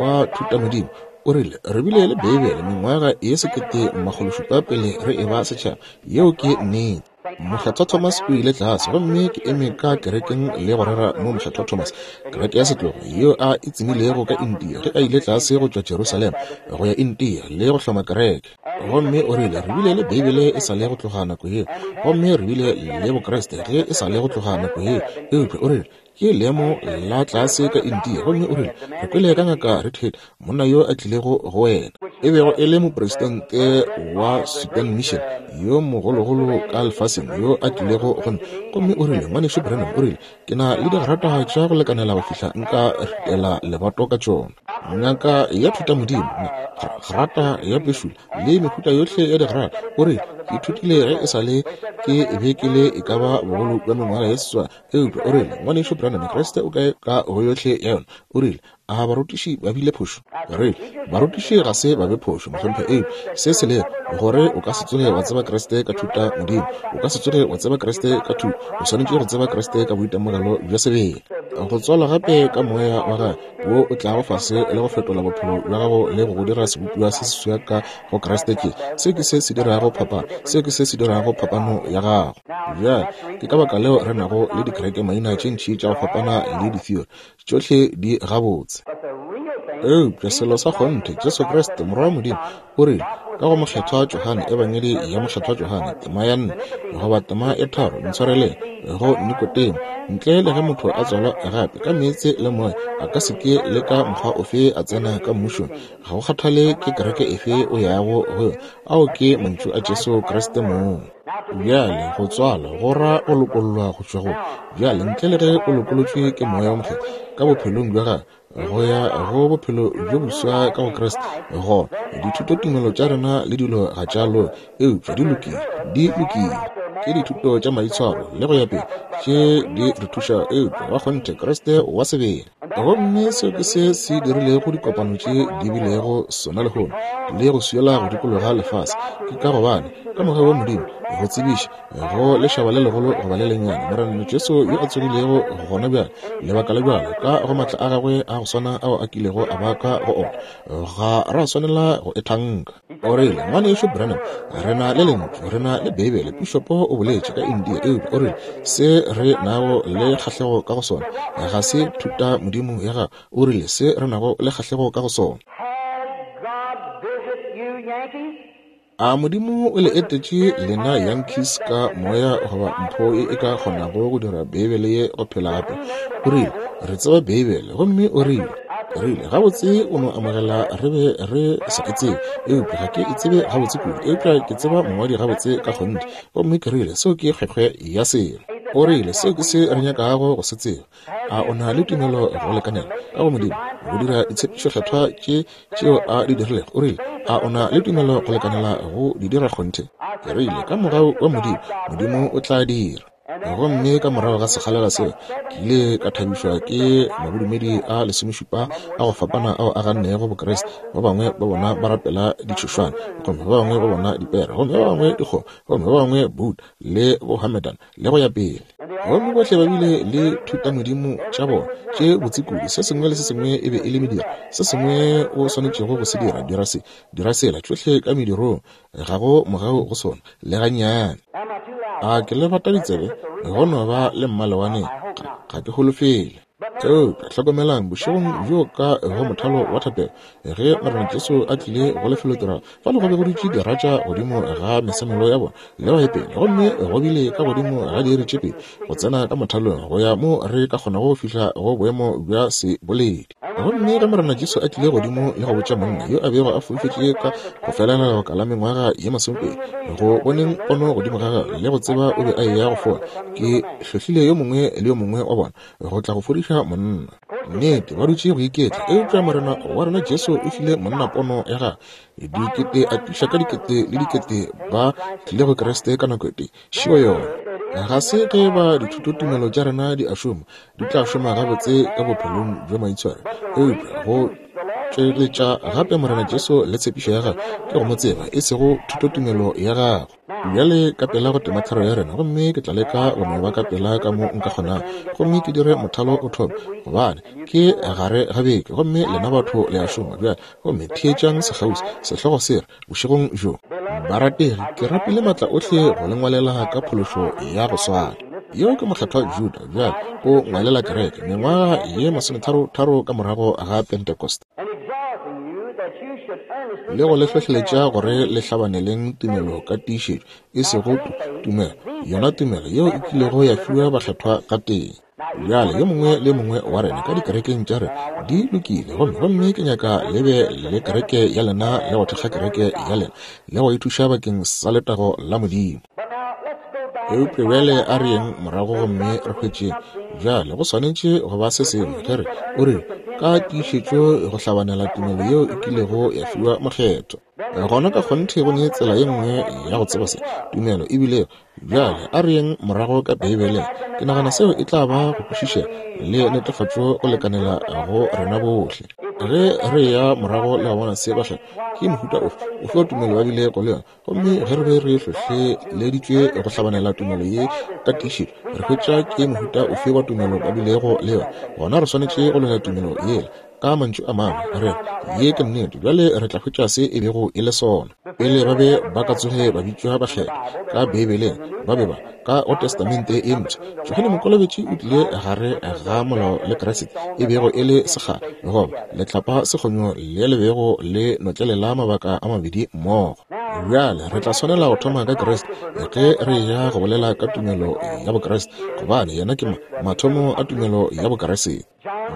B: wa thutamodimo, o rile, re bile le Beibele mengwaga ye 1700 pele re eba setšhaba. Yeo ke nnete. Mokgethwa Thomas o ile tlase, gomme ke eme ka kerekeng le go rera mo Mokgethwa Thomas, kereke ya setlogo yeo a e tsemilego ka India ge a ile tlase go tšwa Jerusalema go ya India le go hloma kereke. Gomme o rile, Re bile le Beibele e sa le go tloga nako yeo, gomme re bile le Bokriste ge e sa le go tloga nako yeo. Eupša o rile, Ke leemo la tlase ka India. Gomme o rile, Re kwele ka Ngaka Redhead, monna yo a tlilego go wena, e bego e le mopresidente wa Sudan Mission yo mogologolo ka lefaseng, yo a tlilego go nna. Gomme o rile, Ngwanešu Branham, o rile, Ke na le digrata tša go lekanela go fihla nka ritela lebato ka tšona. Ngaka ya thutamodimo, grata ya pešula le mehuta yohle ya digrata. O rile, Ke ithutile ge e sa le ke be ke le e ka ba bogolo bja mengwaga ye seswai. Eupša o rile, Ngwanešu Branham, Kriste o kae ka go yohle ya yona? O rile, A barutiši ba bile phošo? Re, barutiši ga se ba be phošo, mohlomphegi. Eupša se se lego, gore o ka se tsoge wa tseba Kriste ka thuta Modimo. O ka se tsoge wa tseba Kriste ka thuto. O swanetše go tseba Kriste ka boitemogelo bja sebele. Go tswalwa gape ka Moya wa Gagwe, wo o tlago fase le go fetola bophelo bja gago le go go dira sebopiwa se seswa ka go Kriste, ke se ke se se dirago phapano. Se ke se se dirago phapano ya gago. Bjale, ke ka baka leo re nago le dikereke maina tše ntši tša go fapana le ditheory. Tšohle di gabotse. Eupša selo sa kgonthe, Jesu Kriste, Morwa wa Modimo, o rile, ka go Mokgethwa Johane, Ebangedi ya Mokgethwa Johane, tema ya 4, goba tema ya 3, ntshwareleng, go Nikodemo, ntle le ge motho a tswalwa gape ka meetse le Moya, a ka se ke le ka mokgwa ofe a tsena ka Mmušong, ga go kgathale ke kereke efe o yago go yona. Ao ke mantšu a Jesu Kriste mong. Bjale, go tswalwa go ra go lokollwa go tšwa go. Bjale, ntle le ge o lokolotšwe ke Moya wo Mokgethwa ka bophelong bja gago, go ya go bophelo bjo boswa ka go Kriste, gona dithutotumelo tša rena le dilo ga tša loka, eupša di lokile, di lokile. Ke dithuto tša maitshwaro le go ya pele tše di re thušago, eupša wa kgonthe Kriste wa sebele. Gomme seo ke se se dirilego dikopano tše di bilego sona lehono, le go swiela go dikologa lefase, ke ka gobane ka mogau wa Modimo go tsebiša go lešaba le legolo goba le lennyane Morena Jesu yo a tsogilego gona bjale, lebaka la bjale, ka go maatla a gagwe a go swana ao a kilego a ba ka go ona, ga ra swanela go e thanka. O rile, Ngwanešu Branham, re na le Lentšu, re na le Beibele. Pišopo o boletše ka India, eupša o rile, se re nago le kgahlego ka go sona ga se thuta Modimo ya gago. O rile, se re nago le kgahlego ka go sona. A Modimo o le etetše lena Yankees ka moya goba mpho ye e ka kgonago go dira Beibele ye go phela gape? O rile, Re tseba Beibele. Gomme o rile, rile, gabotse o no amogela re be re sa e tsebe, eupša ga ke e tsebe gabotse kudu, eupša ke tseba mongwadi gabotse ka kgonthe. Gomme ke rile, Seo ke kgwekgwe ya selo. O rile, Seo ke se re nyakago go se tseba. A o na le tumelo go lekanela ka go Modimo go dira ditshepišokgethwa tše tšeo A di dirilego? O rile, A o na le tumelo go lekanela go di dira kgonthe? Ke rile, Ka mogau wa Modimo, Modimo o tla dira. Gomme ka morago ga sekgalela seo, ke ile ka thabišwa ke mabodumedi a lesomešupa a go fapana ao a gannego Bokriste. Ba bangwe ba bona ba rapela ditšhošwane, gomme ba bangwe ba bona dipere, gomme ba bangwe dikgomo, gomme ba bangwe Buddha le Bohammedan, le go ya pele. Gomme bohle ba bile le thutamodimo tša bona tše botse kudu. Se sengwe le se sengwe e be e le mediro, se sengwe o swanetšego go se dira, dira se, dira sela, tšohle ka medirong. Ga go mogau go sona, le gannyane. A ke le bata ditsebe? Go no ba le mmalewane, ga ke holofele. Eupša hlokomelang, bošegong bjo ka go mothalo wa thapelo, ge Morena Jesu a tlile go lefelotiragalo, fale go be go dutše diratša godimo ga mesamelo ya bona, le go ya pele, gomme go bile ka godimo ga diiri tše pedi go tsena ka mothalong go ya mo re ka kgonago go fihla go boemo bja seboledi. Gomme ge Morena Jesu a tlile godimo le go botša monna yo a bego a foufetše ka go felela lebaka la mengwaga ye masomepedi, go boneng pono godimo ga gagwe le go tseba o be a eya go fola, ke hlohlile yo mongwe le yo mongwe wa bona go tla go fodiša monna. Nnete, ba dutše go iketla, eupša Morena wa rena Jesu o file monna pono ya gagwe. Dikete a tliša ka dikete le dikete ba tlile go Kriste ka nako e tee. Šio yona. Ga se ge ba dithutotumelo tša rena di a šoma, di tla šoma gabotse ka bophelong bja maitshwaro, eupša go tšweletša gape Morena Jesu le tshepišo ya gagwe ke go mo tseba, e sego thutotumelo ya gago. Bjale ka pela go temathero ya rena, gomme ke tla leka go no ba ka pela ka mo nka kgonago, gomme ke dire mothalo o thome, gobane ke gare ga beke, gomme lena batho le a šoma bjale. Gomme theetšang sekgauswi, sehlogo se re, bošegong bjo, Barategi, ke rapile maatla ohle go le ngwalela ka phološo ya go swana. Yo ke Mokgethwa Juda bjale o ngwalela kereke, mengwaga ye masometharotharo ka morago ga Pentecost. Le go le hlohleletša gore le hlabaneleng tumelo ka tiišetšo, e sego tu, tumelo, yona tumelo yeo e kilego ya fiwa bakgethwa gatee. Bjale, yo mongwe le yo mongwe wa rena ka dikerekeng tša rena di lokile, gomme, gomme ke nyaka le be le kereke ya lena le go thekga kereke ya lena le go e thuša bakeng sa letago la Modimo. Eupša bjale a re yeng morago gomme re hwetšeng. Bjale go swanetše go ba se sengwe ge re, o rile, ka tiišetšo go hlabanela tumelo yeo e kilego ya fiwa mokgethwa. Gona ka kgonthe go ne tsela ye nngwe ya go tseba se tumelo e bilego. Bjale a re yeng morago ka Beibeleng. Ke nagana seo e tla ba go kwešišega le netefatšo go lekanela go rena bohle. Ge re eya morago le go bona se bakgethwa ke mohuta ofe, ofe wa tumelo ba bilego le yona, Gomme ge re be re hlohleleditšwe go hlabanela tumelo ye ka tiišetšo, re hwetša ke mohuta ofe wa tumelo ba bilego le yona, gona re swanetše go lwela tumelo yela. Ka mantšu a mangwe, re re, Ye ke nnete. Bjale re tla hwetša se e bego e le sona. Pele ba be ba ka tsoge ba bitšwa bakgethwa, ka Beibeleng, ba be ba, ka go Testamente e Mpsha, Johane Mokolobetši o tlile gare ga molao le Kriste, e bego e le sekgala, goba letlapa sekgonyo le le bego le notlelela mabaka a mabedi mmogo. Bjale re tla swanela go thoma ka Kriste ge re eya go bolela ka tumelo ya Bokriste, gobane yena ke mathomo a tumelo ya Bokriste.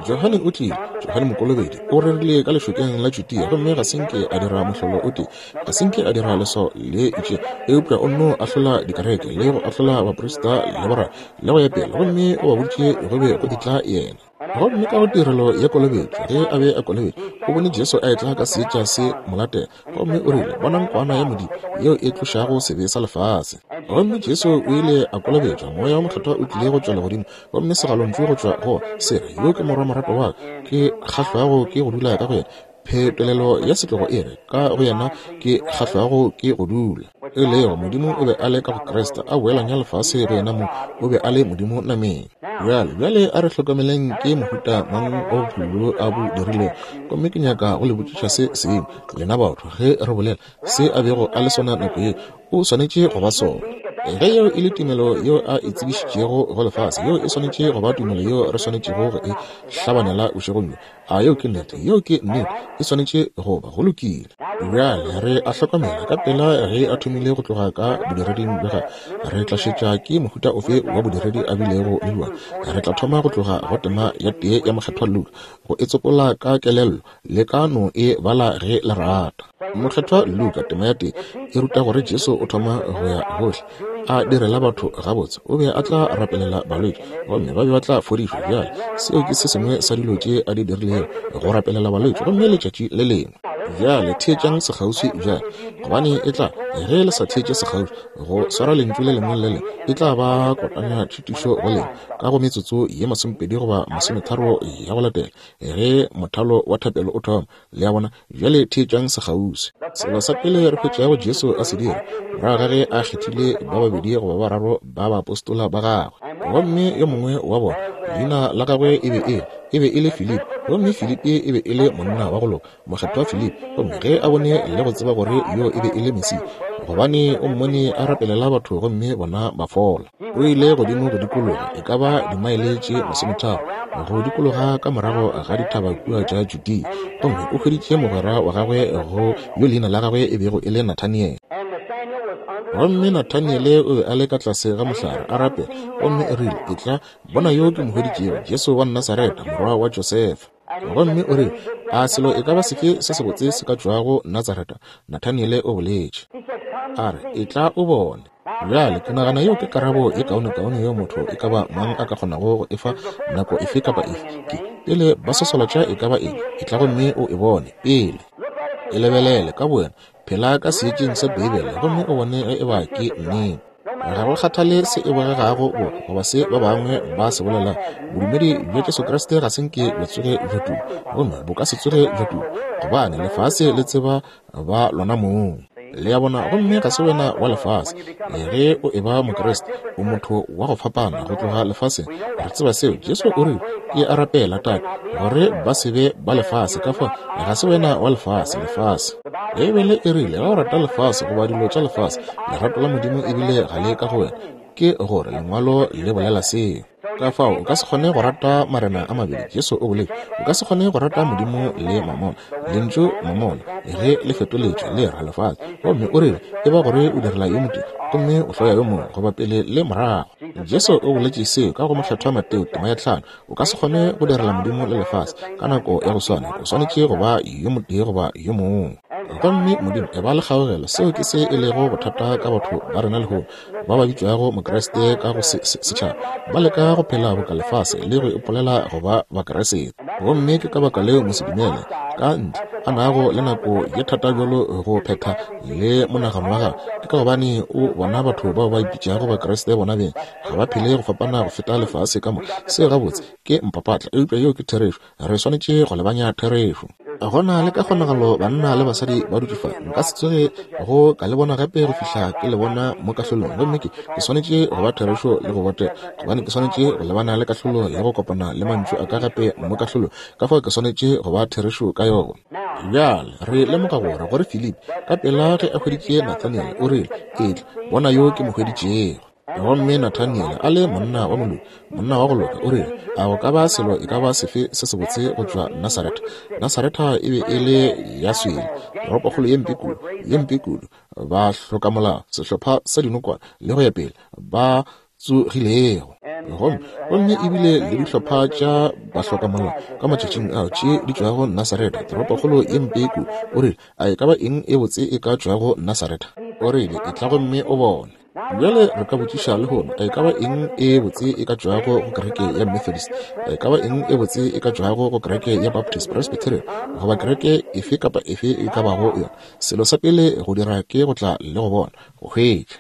B: Johane o tlile, Johane Mokolobedi, o rerile ka lešokeng la Judea gomme ga se nke a dira mohlolo o tee, ga se nke a dira leswao le itše, eupša o nno ahlola dikereke le go ahlola baprista le borra le go ya pele, gomme o ba boditše go be go etla yena. Gomme ka go tirelo ya kolobetšo, ge a be a kolobetšwa, o bone Jesu a etla ka seetša se mo latela, gomme o rile, Bonang Kwana ya Modimo yeo e tlošago sebe sa lefase. Gomme Jesu o ile a kolobetšwa, Moya wo Mokgethwa o tlile go tšwa legodimo, gomme segalontšu go tšwa go se re, Yo ke Morwa moratwa wa ka, ke kgahlwago ke go dula ka go yena. Phetolelo ya setlogo e re, Ka go yena ke kgahlwago ke go dula. E lego, Modimo o be a le ka go Kriste, a boelanya lefase go yena mong, o be a le Modimo nameng. Bjale, bjale a re hlokomeleng ke mohuta mang wa bophelo bjo a bo dirilego. Gomme ke nyaka go le botšiša se sengwe, lena batho, ge re bolela se a bego a le sona nako yeo, o swanetše go ba sona. Ge yeo e le tumelo yeo a e tsebišitšego go lefase, yeo e swanetše go ba tumelo yeo re swanetšego go e hlabanela bošegong bjo. A yeo ke nnete? Yeo ke nnete. E swanetše go ba. Go lokile. Bjale re a hlokomela, ka pela ge a thomile go tloga ka bodireding bja gagwe, re tla šetša ke mohuta ofe wa bodiredi a bilego le bjona. Re tla thoma go tloga go tema ya tee ya Mokgethwa Luka, go e tsopola ka kelello. Le ka no e bala ge le rata. Mokgethwa Luka, tema ya tee, e ruta gore Jesu o thoma go ya gohle. a direla batho gabotse. O be a tla rapelela balwetši, gomme ba be ba tla fodišwa. Bjale, seo ke se sengwe sa dilo tše a di dirilego, go rapelela balwetši. Gomme letšatši le lengwe. Bjale, theetšang sekgauswi bjale, gobane e tla, ge le sa theetše sekgauswi, go swara lentšu le lengwe le le lengwe, e tla ba kotana tšhitišo go lena ka go metsotso ye 20 goba 30 ya go latela, ge mothalo wa thapelo o thoma. Le a bona? Bjale theetšang sekgauswi. Selo sa pele re hwetšago Jesu a se dira, morago ga ge a kgethile ba babedi goba ba bararo ba baapostola ba gagwe, gomme yo mongwe wa bona, leina la gagwe e be e, e be e le Filipi, gomme Filipi e be e le monna wa go loka, mokgethwa Filipi. Gomme ge a bone le go tseba gore yo e be e le Mesia, gobane o mmone a rapelela batho gomme bona ba fola. O ile godimo go dikologa, e ka ba dimaele tše 30, go dikologa ka morago ga dithaba kua tša Judea, gomme o hweditše mogwera wa gagwe go yo leina la gagwe e bego e le Nathaniele. Gomme Nathaniele o be a le ka tlase ga mohlare a rapela, gomme o rile, Etla, bona yo ke mo hweditšego, Jesu wa Nasaretha, morwa wa Josefa. Gomme o rile, A selo e ka ba sefe se sebotse se ka tšwago Natsaretha? Nathaniele o boletše. A re, Etla o bone. Bjale, ke nagana yeo ke karabo ye kaonekaone yeo motho e ka ba mang a ka kgonago go e fa nako efe kapa efe. Ke, pele ba sosolatša e ka ba eng, etla gomme o e bone, pele. E lebelele, ka bowena. Phela ka seetšeng sa Beibele gomme o bone ge eba ke nnete. Ga go kgathale se e bogegago boka goba se ba bangwe ba se bolelago, bodumedi bja Jesu Kriste ga se nke bja tsoge bja tuma, gomme bo ka se tsoge bja tuma, gobane lefase le tseba ba lona mong. Le a bona? Gomme ga se wena wa lefase. Ge o eba Mokriste, o motho wa go fapana go tloga lefaseng. Re tseba seo. Jesu o rile, Ke a rapela, Tate, gore ba se be ba lefase. Ka fao, ga se wena wa lefase, lefase. Beibele e rile, Ge o rata lefase goba dilo tša lefase, lerato la Modimo ebile ga le ka go wena. Ke gore Lengwalo le bolela seo. Ka fao o ka se kgone go rata marena a mabedi. Jesu o boletše, o ka se kgone go rata Modimo le mamona. Lentšu mamona, ge le fetoletšwe, le ra lefase. Gomme o rile, e ba gore o direla yo motee, gomme o hloya yo mongwe, goba pele le morago. Jesu o boletše seo ka go Mokgethwa Mateo tema ya 5. O ka se kgone go direla Modimo le lefase ka nako ya go swana. O swanetše go ba yo motee goba yo mongwe. Gomme Modimo, e ba le kgaogelo. Seo ke se e lego bothata ka batho ba rena lehono, ba ba bitšwago Mokriste ka go setšhaba, ba leka go phela boka lefase le go ipolela go ba Bakriste. Gomme ke ka baka leo mosedumele ka ntle a nago le nako ye thata bjalo go phetha le monagano wa gagwe, ke ka gobane o bona batho bao ba ipitšago Bakriste bona beng ga ba phele go fapana go feta lefase ka moka. Seo gabotse ke mpapatla, eupša yeo ke therešo. Re swanetše go lebanya therešo. Go na le ka kgonagalo banna le basadi ba dutše fa. Nka se tsoge go ka le bona gape go fihla ke le bona mo kahlolong. Gomme ke, ke swanetše go ba therešo le go botega, gobane ke swanetše go lebana le kahlolo ya go kopana le mantšu a ka gape mo kahlolong. Ka fao ke swanetše go ba therešo ka yona. Bjale re lemoga gore, gore Filipi, ka pela ge a hweditše Nathaniele, o rile, Etla, bona yo ke mo hweditšego. Gomme Nathaniele, a le monna wa moloki, monna wa go loka, o rile, A go ka ba selo e ka ba sefe se sebotse go tšwa Nasaretha? Nasaretha e be e le ya swele, toropokgolo ye mpe kudu, ye mpe kudu, ba hlokamolao, sehlopha sa dinokwane, le go ya pele, ba tsogilego. Gomme, gomme ebile le dihlopha tša bahlokamolao ka matšatšing ao tše di tšwago Nasaretha, toropokgolo ye mpe kudu. O rile, A e ka ba eng e botse e ka tšwago Nasaretha? O rile, Etla gomme o bone. Bjale re ka botšiša lehono, e ka ba eng e botse e ka tšwago go kereke ya Methodist? E ka ba eng e botse e ka tšwago go kereke ya Baptist, Presbyterian, goba kereke efe kapa efe e ka bago yona? Selo sa pele go dira ke go tla le go bona, go hwetša.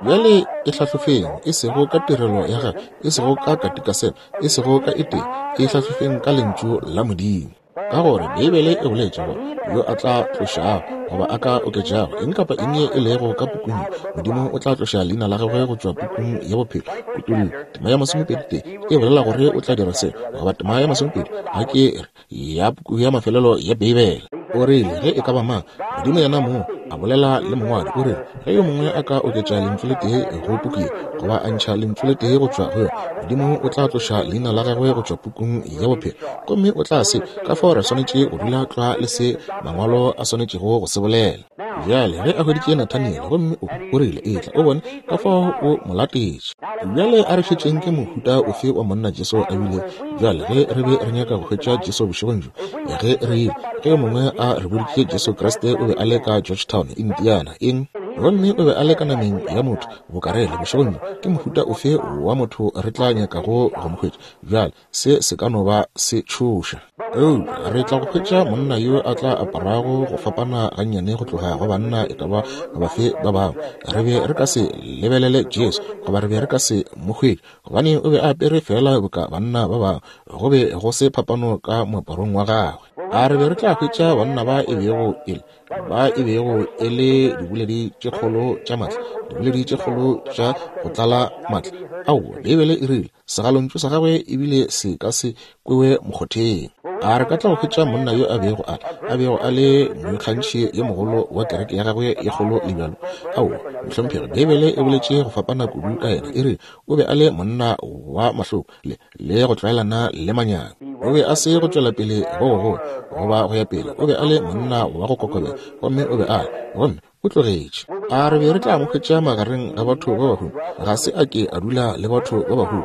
B: Bjale e hlahlofeng, e sego ka tirelo ya gagwe, e sego ka katikasema, e sego ka e tee, e hlahlofeng ka Lentšu la Modimo. Ka gore Beibele e boletše gore yo a tla tlošago goba a ka oketšago eng kapa eng ye e lego ka pukung ye, Modimo o tla tloša leina la gagwe go tšwa pukung ya bophelo. Kutollo tema ya 21 e bolela gore o tla dira seo, goba tema ya 20, ga ke re, ya puku ya mafelelo ya Beibele. O rile, ge e ka ba mang, Modimo yena mong a bolela le mongwadi, o rile, ge yo mongwe a ka oketša lentšu le tee go puku ye, goba a ntšha lentšu le tee go tšwa go yona, Modimo o tla tloša leina la gagwe go tšwa pukung ya bophelo, gomme o tla se. Ka fao re swanetše go dula tlwa le se Mangwalo a swanetšego go se bolela. Bjale, ge a hweditše Nathaniele, gomme o, o rile, Etla, o bone, ka fao o mo latetše. Bjale a re šetšeng ke mohuta ofe wa monna Jesu a bile. Bjale, ge re be re nyaka go hwetša Jesu bošegong bjo, ge re ile, ge yo mongwe a re boditše Jesu Kriste o be be a le ka Georgetown, Indiana. Eng? Gomme o be a le ka nameng ya motho, bokarele, bošegong bjo. Ke mohuta ofe wa motho re tla nyakago go mo hwetša? Bjale, se se ka no ba se tšhoša. Eupša re tla go hwetša monna yo a tla aparago go fapana gannyane go tloga go banna e ka ba bafe ba bangwe. Re be re ka se lebelele Jesu, goba re be re ka se mo hwetše, gobane o be a apere feela boka banna ba bangwe. Go be go se phapano ka moaparong wa gagwe. A re be re tla hwetša banna ba e bego e le ba e bego e le diboledi tše kgolo tša matla, diboledi tše kgolo tša go tlala matla? Aowa, Beibele e rile segalontšu sa gagwe ebile se ka se kwewe mokgotheng. A re ka tla go hwetša monna yo a bego a a bego a le moikgantšhi yo mogolo wa kereke ya gagwe ye kgolo le bjalo? Aowa, mohlomphegi, Beibele e boletše go fapana kudu ka yena. E rile o be a le monna wa mahloko le, le go tlwaelana le manyami. O be a se go tšwela pele go gogolo goba go ya pele. O be a le monna wa go kokobela, gomme o be a le, gomme o tlogetše. A re be re tla mo hwetša magareng ga batho ba bahumi? Ga se a ke a dula le batho ba bahumi.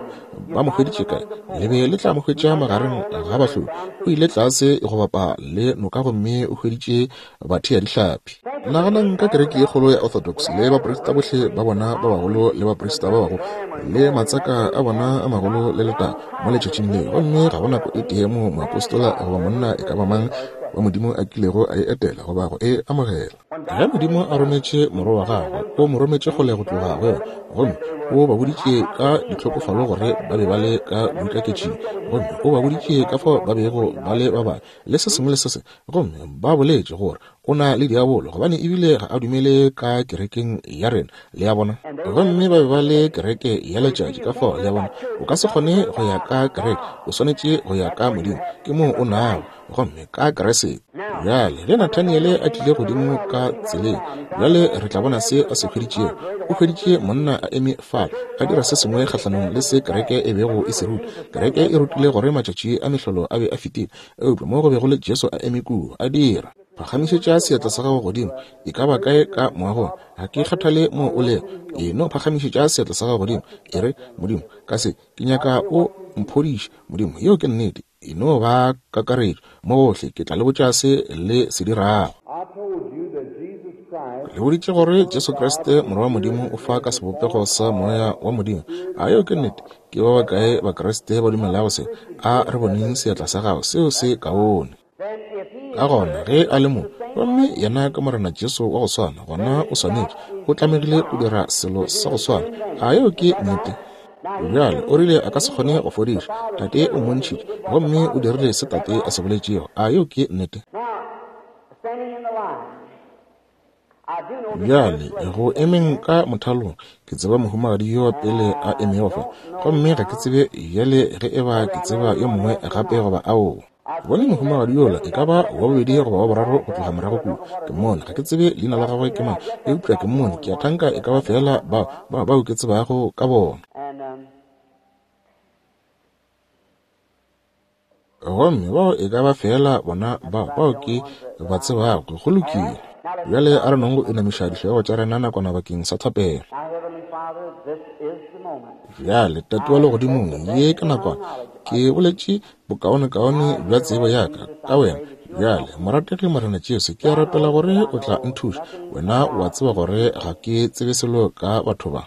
B: Ba mo hweditše kae? Le be le tla mo hwetša magareng ga bahloki. O ile tlase go bapa le noka gomme o hweditše batheadihlapi. Naganang ka kereke ye kgolo ya Orthodox le baprista bohle ba bona ba bagolo le baprista ba bagolo le matsaka a bona a magolo le letago mo letšatšing le, gomme ga go nako e tee moo moapostola goba monna e ka ba mang wa Modimo a kilego a e etela goba go e amogela. Ge Modimo a rometše Morwa wa Gagwe, O mo rometše kgole go tloga go yona, gomme O ba boditše ka ditlhokofalo gore ba be ba le ka boikaketšing, gomme O ba boditše ka fao ba bego ba le ba babe, le se sengwe le se sengwe, gomme ba boletše gore o na le diabolo, gobane ebile ga a dumele ka kerekeng ya rena, le a bona. Gomme ba be ba le kereke ya letšatši, ka fao, le a bona, o ka se kgone go ya ka kereke, o swanetše go ya ka Modimo, ke moo o nago, gomme ka Kriste. Bjale, ge Nathaniele a tlile godimo ka tseleng, bjale re tla bona se a se hweditšego. O hweditše monna a eme fale, a dira se sengwe kgahlanong le se kereke e bego e se ruta. Kereke e rutile gore matšatši a mehlolo a be a fetile, eupša mo go be go le Jesu a eme kua, a dira. Phagamišetša seatla sa gago godimo, e ka ba kae ka moagong, ga ke kgathale moo o lego. E no phagamišetša seatla sa gago godimo, e re, Modimo, ka se, ke nyaka O mphodiše. Modimo, yeo ke nnete. E no ba kakaretšo, mo gohle, ke tla le botša se le se dirago. Le boditše gore Jesu Kriste, Morwa wa Modimo, o fa ka sebopego sa Moya wa Modimo. A yeo ke nnete? Ke ba bakae Bakriste ba dumelago se? A re boneng seatla sa gago. Seo se kaone. Ka gona, ge a le mo, gomme yena ke Morena Jesu wa go swana, gona o swanetše, o tlamegile go dira selo sa go swana. A yeo ke nnete? Bjale, o rile a ka se kgone go fodiša. Tate o mmontšhitše, gomme o dirile se Tate a se boletšego. A yeo ke nnete? Bjale, go emeng ka mothalong, ke tseba mohumagadi yo wa pele a emego fa, gomme ga ke tsebe bjale ge e ba ke tseba yo mongwe gape goba aowa. Bone mohumagadi yola, e ka ba wa bobedi goba wa boraro go tloga morago kua. Ke mmone, ga ke tsebe leina la gagwe ke mang, eupša ke mmone, ke a thanka e ka ba feela bao, bao, bao ke tsebago ka bona. Gomme bao e ka ba feela bona bao, bao ke ba tsebago. Go lokile. Bjale a re nong go inamiša dihlogo tša rena nakwana bakeng sa thapelo. Bjale, Tate wa Legodimong, ye ke nakwana. Ke boletše bokaonekaone bja tsebo ya ka ka Wena. Bjale, morategi Morena Jesu, ke a rapela gore O tla nthuša. Wena o a tseba gore ga ke tsebe selo ka batho ba.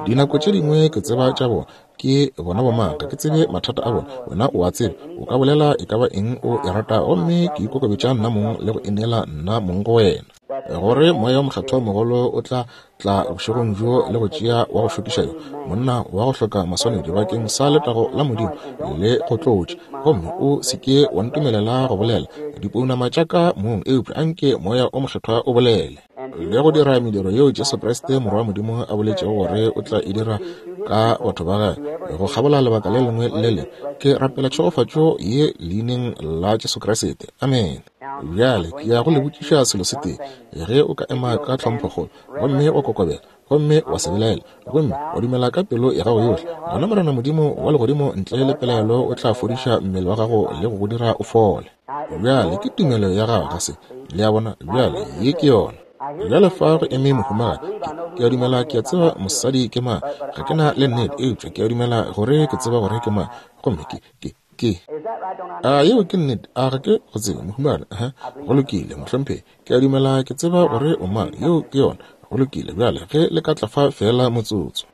B: Dinako tše dingwe ke tseba tša bona, ke bona bomang, ga ke tsebe mathata a bona. Wena o a tseba, o ka bolela e ka ba eng o e ratago, gomme ke ikokobetša nna mong le go ineela nna mong go wena. Gore Moya wo Mokgethwa mogolo o tla tla bošegong bjo le go tšea wa go šokiša yo, monna wa go hloka maswanedi bakeng sa letago la Modimo le go tlotša. Gomme o se ke wa ntumelela go bolela dipounama tša ka mong, eupša anke Moya wo Mokgethwa o bolele. le go dira mediro yeo Jesu Kriste Morwa wa Modimo a boletšego gore o tla e dira ka batho ba gagwe go kgabola lebaka le lengwe le le. Ke rapela tšhegofatšo ye leineng la Jesu Kriste. Amen. Bjale ke ya go le botšiša selo se tee. Ge o ka ema ka tlhomphokgolo gomme wa kokobela gomme wa se belaela gomme wa dumela ka pelo ya gago yohle, gona Morena Modimo wa legodimo ntle le pelaelo o tla fodiša mmele wa gago le go go dira o fole. Bjale ke tumelo ya gago, ga se? Le a bona? Bjale ye ke yona. Bjale fa go eme mohumagadi. Ke, ke a dumela ke a tseba mosadi ke mang. Ga ke na le nnete, eupša ke a dumela gore ke tseba gore ke mang. Gomme ke, ke, Ke. A yeo ke nnete? A ga ke go tsebe, mohumagadi? Aha. Go lokile, mohlomphegi. Ke a dumela ke tseba gore o mang. Yeo ke yona. Go lokile. Bjale, ge le ka tla fa feela motsotso.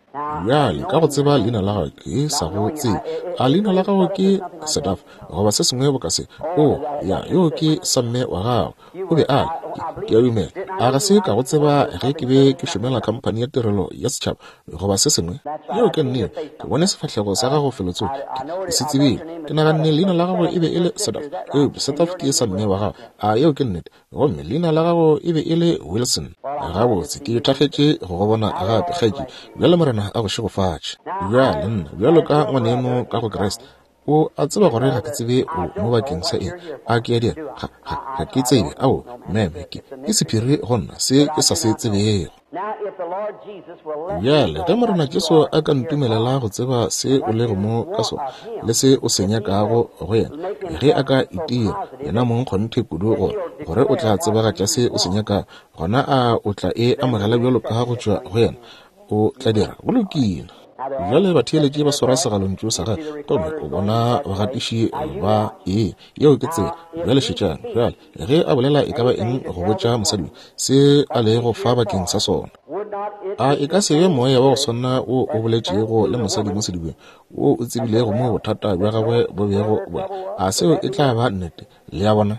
B: Bjale, ka go tseba leina la gago, ke sa go tsebe. A leina la gago ke Sedaf, goba se sengwe boka se? O, ya, yo ke samme wa gago. O be a le, ke, ke a dumela. A ga se ka go tseba ge ke be ke šomela khamphani ya tirelo ya setšhaba, goba se sengwe? Yeo ke nnete. Ke bone sefahlego sa gago felotsoko. Ke, ke se tsebile. Ke naganne leina la gago e be e le Sedaf, eupša Sedaf ke samme wa gago. A yeo ke nnete? Gomme leina la gago e be e le Wilson. Gabotse, ke thakgetše go go bona gape, kgaetšedi. Bjale Morena a go šegofatše. Bjale nna, bjalo ka ngwaneno ka go Kriste, o a tseba gore ga ke tsebe o mo bakeng sa eng. A ke a dira? Ga, ga, ga ke tsebe. Ao, meme, ke, ke sephiri go nna, se ke sa se tsebego. Bjale, ge Morena Jesu a ka ntumelela go tseba se o lego mo ka sona le se o se nyakago go yena, ge a ka itira yena mong kgonthe kudu gore, gore o tla tsebagatša se o se nyakago, gona a o tla e amogela bjalo ka go tšwa go yena? O tla dira. Go lokile. Bjale batheeletši ba swara segalontšu sa gagwe, gomme o bona bagatiši ba e. Yeo ke tsela. Bjale šetšang. Bjale, ge a bolela e ka ba eng go botša mosadi se a lego fa bakeng sa sona, a e ka se be moya wa go swana wo o boletšego le mosadi mo sedibeng, wo o tsebilego mo bothata bja gagwe bo bego bo le? A seo e tla ba nnete? Le a bona?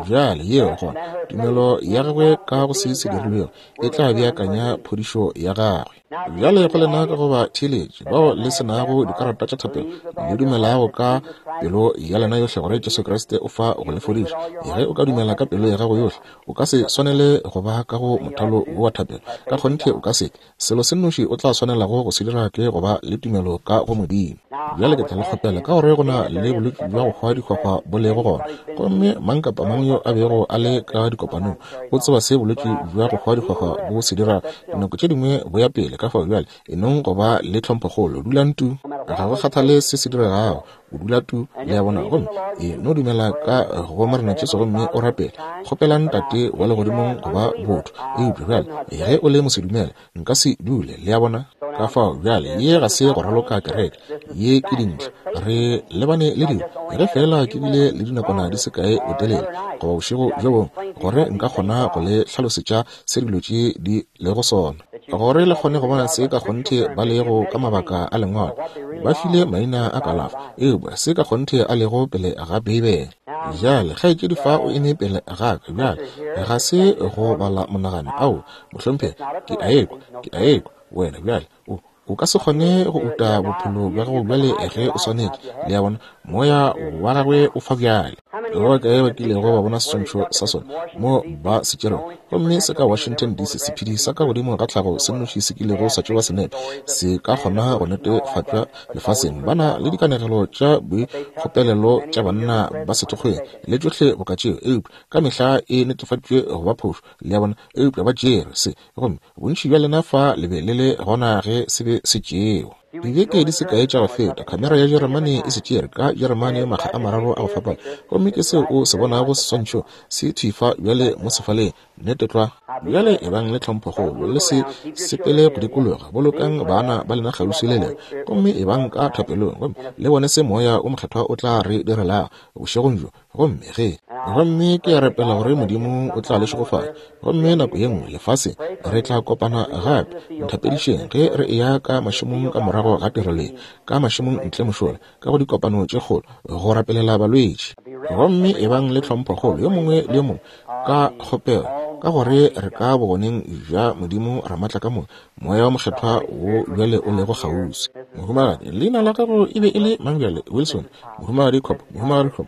B: Bjale, yeo gona, tumelo ya gagwe ka go se se dirilwego e tla beakanya phodišo ya gagwe. Bjale go lena ka go ba theeletše bao le se nago dikarata tša thapelo, le dumelago ka pelo ya lena yohle gore Jesu Kriste o fa go le fodiša. Ge o ka dumela ka pelo ya gago yohle, o ka se swanele go ba ka go mothalo wo wa thapelo. Ka kgonthe o ka se ke. Selo se nnoši o tla swanelago go se dira ke go ba le tumelo ka go Modimo. Bjale ke tla le kgopela, ka gore go na le bolwetši bja go hwa dihwahwa bo lego gona, gomme mang kapa mang yo a bego a le ka dikopanong o tseba se bolwetši bja go hwa dihwahwa bo se dirago. Dinako tše dingwe bo ya pele, ka fao bjale e nong go ba le tlhomphokgolo. Dulang tu. Ga go kgathale se se diregago, o dula tu, le a bona. Gomme e no dumela ka go Morena Jesu gomme o rapele. Kgopelang Tate wa Legodimong go ba botho. Eupša bjale ge o le mosedumele, nka se dule, le a bona. Ka fao bjale ye ga se go raloka kereke, ye ke dintlha. Re lebane le dilo. Ge feela ke bile le dinakwana di se kae botelele, goba bošego bjo bongwe, gore nka kgona go le hlalosetša se dilo tše di lego sona, gore le kgone go bona se ka kgonthe ba lego ka mabaka a Lengwalo. Ba file maina a kalafo, eupša se ka kgonthe a lego pele ga Beibele. Bjale, kgaetšedi fa o eme pele ga ka bjale, ga se go bala monagano. Ao, mohlomphegi, ke a ekwa, ke a ekwa wena bjale. O, o ka se kgone go uta bophelo bja gago bjale ge o swanetše. Le a bona, moya wa gagwe o fa bjale. Ba bakae ba kilego ba bona seswantšho sa sona mo ba se tšerego? Gomme se ka Washington, DC, sephedi sa ka godimo ga tlhago se nnoši se kilego sa tšewa senepe, se ka kgona go netefatšwa lefaseng. Ba na le dikanegelo tša boikgopelelo tša banna ba sethokgweng le tšohle boka tšeo, eupša ka mehla e netefaditšwe go ba phošo. Le a bona? Eupša ba tšere se, gomme bontši bja lena fa le be le le gona ge se be se tšewa. Dibeke di se kae tša go feta, khamera ya Jeremane e se tšere ka Jeremane makga a mararo a go fapana, gomme ke seo o se bonago seswantšho se thwi fa bjale mo sefaleng. Nnete tlwa. Bjale ebang le tlhomphokgolo, le se sepele go dikologa, bolokang baana ba lena kgauswi le lena, gomme ebang ka thapelong, gomme le bone se Moya wo Mokgethwa o tla re direlago bošegong bjo. Gomme ge, gomme ke a rapela gore Modimo o tla le šegofatša. Gomme nako ye nngwe lefaseng re tla kopana gape. Nthapedišeng ge re eya ka mašemong ka morago ga tirelo ye, ka mašemong ntle mošola, ka go dikopano tše kgolo, go rapelela balwetši. Gomme ebang le tlhomphokgolo yo mongwe le yo mongwe, ka kgopelo, ka gore re ka bogoneng bja Modimo Ramaatlakamoka, Moya wo Mokgethwa wo bjale o lego kgauswi. Mohumagadi, leina la gago e be e le mang bjale? Wilson. Mohumagadi Cobb, Mohumagadi Cobb.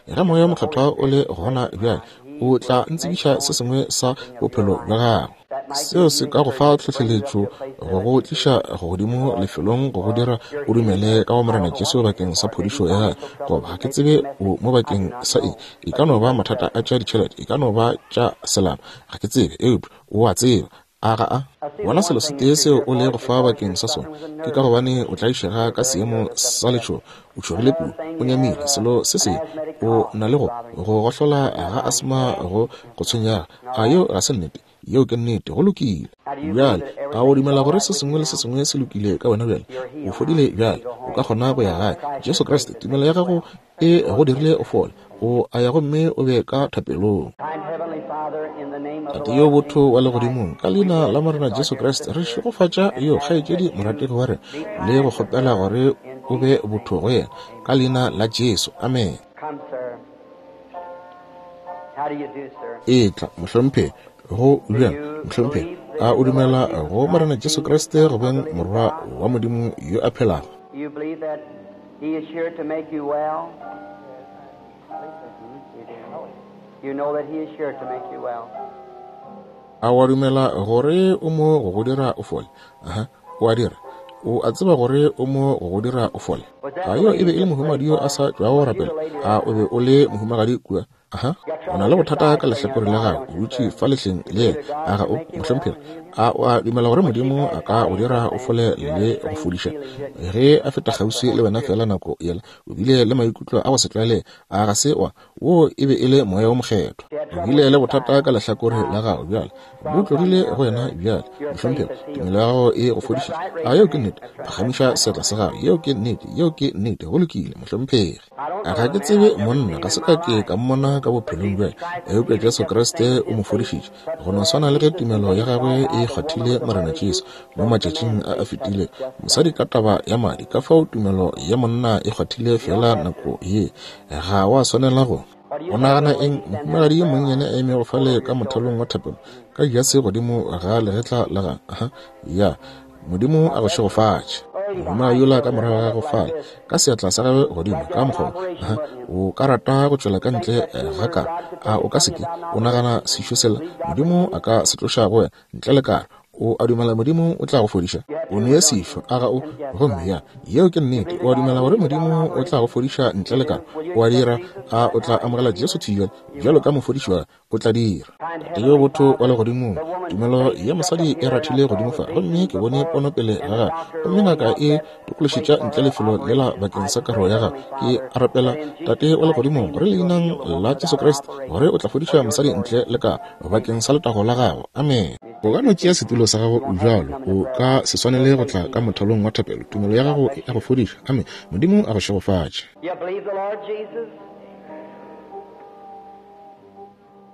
B: Ge Moya wo Mokgethwa o le gona bjale, o tla ntsebiša se sengwe sa bophelo bja gago. Seo se ka go fa tlhohleletšo go go tliša godimo lefelong go go dira o dumele ka go Morena Jesu bakeng sa phodišo ya gago. Goba ga ke tsebe o mo bakeng sa eng. E ka no ba mathata a tša ditšhelete, e ka no ba tša selapa, ga ke tsebe, eupša o a tseba. A ga a bona selo se tee seo o lego fa bakeng sa sona? Ke ka gobane o tlaišega ka seemo sa letšhogo, o tšhogile kudu, o nyamile. Selo se sengwe, o na le go go gohlola ga asma go go tshwenyago. A yeo ga se nnete? Yeo ke nnete. Go lokile. Bjale, a o dumela gore se sengwe le se sengwe se lokile ka wena bjale? O fodile bjale. O ka kgona go ya gae. Jesu Kriste, tumelo ya gago. E go dirile o fole. O a ya gomme o be ka thapelong. Tate yo botho wa legodimong, ka leina la Morena Jesu Kriste, re šegofatša yo kgaetšedi morategi wa rena le go kgopela gore o be botho go yena, ka leina la Jesu. Amen. Etla, mohlomphegi. Go bjang, mohlomphegi? A o dumela go Morena Jesu Kriste go beng Morwa wa Modimo yo a phelago?
A: You believe that He is here to make you well? You know that He is here to make you well.
B: A wa dumela gore o mo go go dira o fole? Aha, o a dira. O a tseba gore o mo go go dira o fole. A yo e be e le mohumagadi yo a sa tšwago go rapela? A o be o le mohumagadi kua? Aha, o na le bothata ka lehlakore la gago, o dutše fa lehleng le yena. A ga o, mohlomphegi? A o a dumela gore Modimo a ka go dira o fole le go fodiša? Ge a feta kgauswi le wena feela nako yela, o bile le maikutlo a go se tlwaelege. A ga se wa? Woo e be e le Moya wo Mokgethwa. O bile le bothata ka lehlakore la gago bjale, bo tlogile go wena bjale, mohlomphegi. Tumelo ya gago e go fodišitše. A yeo ke nnete? Phagamiša seatla sa gago. Yeo ke nnete. Yeo ke nnete. Go lokile, mohlomphegi. Ga ke tsebe monna, ga se ka ke ka mmona ka bophelong bja, eupša Jesu Kriste o mo fodišitše, go no swana le ge tumelo ya gagwe e kgwathile Morena Jesu mo matšatšing a a fetile. Mosadi ka taba ya madi, ka fao tumelo ya monna e kgwathile feela nako ye. Ga wa swanela go. O nagana eng, mohumagadi yo monnyane a emego fale ka mothalong wa thapelo, ka jase godimo ga legetla la gagwe? Aha, ya. Modimo a go šegofatše. Mohumagadi yola ka morago ga gago fale, ka seatla sa gagwe godimo, ka mokgwa wo. O ka rata go tšwela ka ntle ga karo, a o ka se ke? O nagana sešo sela Modimo a ka se tloša go wena, ntle le karo? O a dumela Modimo o tla go fodiša? O ne sešo, a ga o? Gomme ya, yeo ke nnete. O a dumela gore Modimo o tla go fodiša ntle le karo? O a dira? A o tla amogela Jesu thwi bjale bjalo ka mofodiši wa gago? O tla dira. Tate yo botho wa Legodimong, tumelo ya mosadi e rathile godimo fa, gomme ke bone pono pele ga gagwe, gomme ngaka e tokološetša ntle lefelo lela bakeng sa karo ya gagwe. Ke a rapela, Tate wa Legodimong, gore leinang la Jesu Kriste, gore o tla fodiša mosadi ntle le karo, bakeng sa letago la Gago. Amene. O ka no tšea setulo sa gago bjalo, o ka se swanele go tla ka mothalong wa thapelo. Tumelo ya gago e a go fodiša. Amene. Modimo a go šegofatše.
A: You believe the Lord Jesus?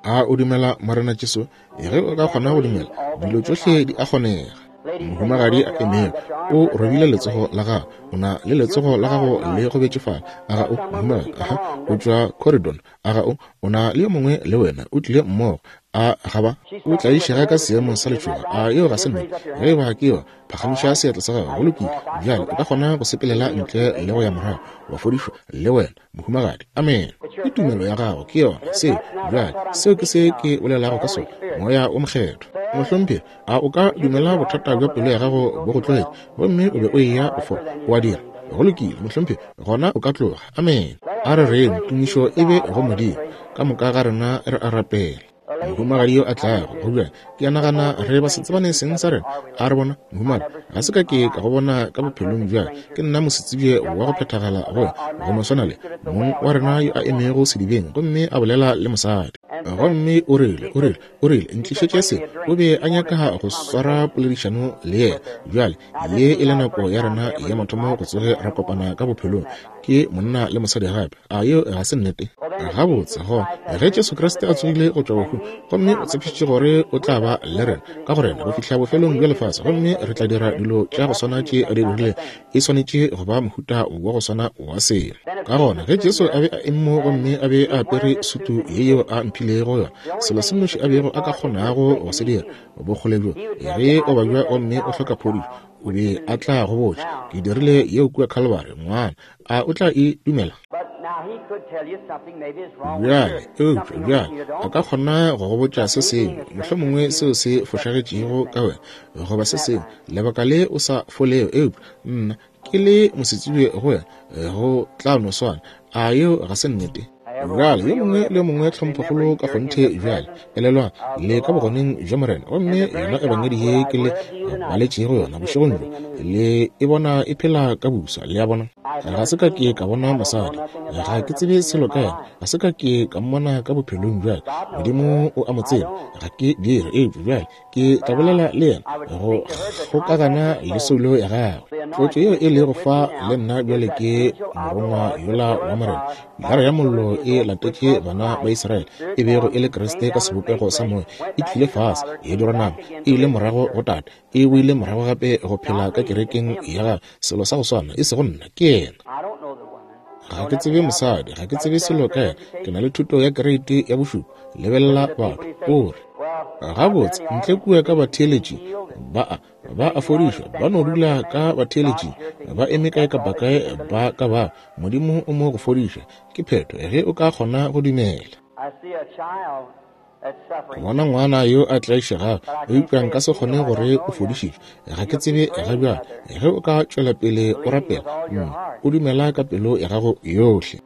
B: A o dumela Morena Jesu? Ge o ka kgona go dumela, dilo tšohle di a kgonega. Mohumagadi a emego, o robile letsogo la gago. O na le letsogo la gago le gobetše fale. A ga o, mohumagadi? Aha, o tšwa Corydon. A ga o? O na le yo mongwe le wena, o tlile mmogo. A ga ba? O tlaišega ka seemo sa letšhogo. A yeo ga se nnete? Ge e ba ke yona, phagamiša seatla sa gago. Go lokile. Bjale o ka kgona go sepelela ntle le go ya morago, wa fodišwa le wena. Mohumagadi. Amene. Ke tumelo ya gago, ke yona. Seo, bjale, seo ke se ke bolelago ka sona, Moya wo Mokgethwa. Mohlomphegi, a o ka dumela bothata bja pelo ya gago bo go tlogetše, gomme o be o eya go fola? O a dira? Go lokile, mohlomphegi, gona o ka tloga. Amene. A re reng, Tumišo e be go Modimo. Ka moka ga rena re a rapela. Mohumagadi yo a tlago go bjale, ke a nagana re ba se tsebane seng sa rena. A re bona, mohumagadi, ga se ka ke ka go bona ka bophelong bja ke nna mosetsebje wa go phethagala go wena, go no swana le mong wa rena yo a emego sedibeng gomme a bolela le mosadi. Gomme o rile, o rile, o rile, ntlišetše se. O be a nyaka go swara poledišano le yena. Bjale, ye e le nako ya rena ya mathomo go tsoge ra kopana ka bophelong, ke monna le mosadi gape. A yeo ga se nnete? Gabotse, gona, ge Jesu Kriste a tsogile go tšwa bahung, gomme o tshepišitše gore o tla ba le rena ka go rena go fihla bofelong bja lefase, gomme re tla dira dilo tša go swana tše a di dirilego, e swanetše go ba mohuta wa go swana wa selo. Ka gona, ge Jesu a be a eme mo gomme a be a apere sutu ye yeo a mphilego yona, selo se nnoši a bego a ka kgonago go se dira, bokgole bjo, ge o babja gomme o hloka phodišo, o be a tla go botša, Ke dirile yeo kua Calvary, ngwana. A o tla e dumela? Bjale, eupša bjale a ka kgona go go botša se sengwe, mohlomongwe seo se fošagetšego ka wena, goba se sengwe, lebaka le o sa folego, eupša nna ke le mosetsebje go wena, go tla no swana. A yeo ga se nnete? Bjale, yo mongwe le yo mongwe tlhomphokgolo ka kgonthe bjale. Elelwang, le ka bogoneng bja Morena, gomme yona Ebangedi ye ke le baletšego yona bošegong bjo, le e bona e phela ka buswa. Le a bona? Ga se ka ke ka bona mosadi, ga ke tsebe selo ka yena, ga se ka ke ka mmona ka bophelong bja ka. Modimo o a mo tseba, ga ke dire. Eupša bjale ke tla bolela le yena go kgokagana le soulo ya gagwe. Tlotšo yeo e lego fa le nna bjale ke morongwa yola wa Morena. Pilara ya Mollo e latetše bana ba Israele, e bego e le Kriste ka sebopego sa moya, e tlile fase, ya dirwa nama, e ile morago go Tate, e boile morago gape go phela ka kerekeng ya Gagwe, selo sa go swana, e sego nna, ke Yena. Ga ke tsebe mosadi, ga ke tsebe selo ka yena, ke na le thuto ya kereiti ya bošupa. Lebelela batho, o re, Gabotse, ntle kua ka batheeletši ba a, ba a fodišwa, ba no dula ka batheeletšing, ba eme kae kapa kae ba ka ba. Modimo o mo go fodiša. Ke phetho, ge o ka kgona go dumela. Ke bona ngwana yo a tlaišegago, eupša nka se kgone gore o fodišitšwe. Ga ke tsebe ga bjale. Ge o ka tšwela pele o rapela, mme o dumela ka pelo ya gago yohle.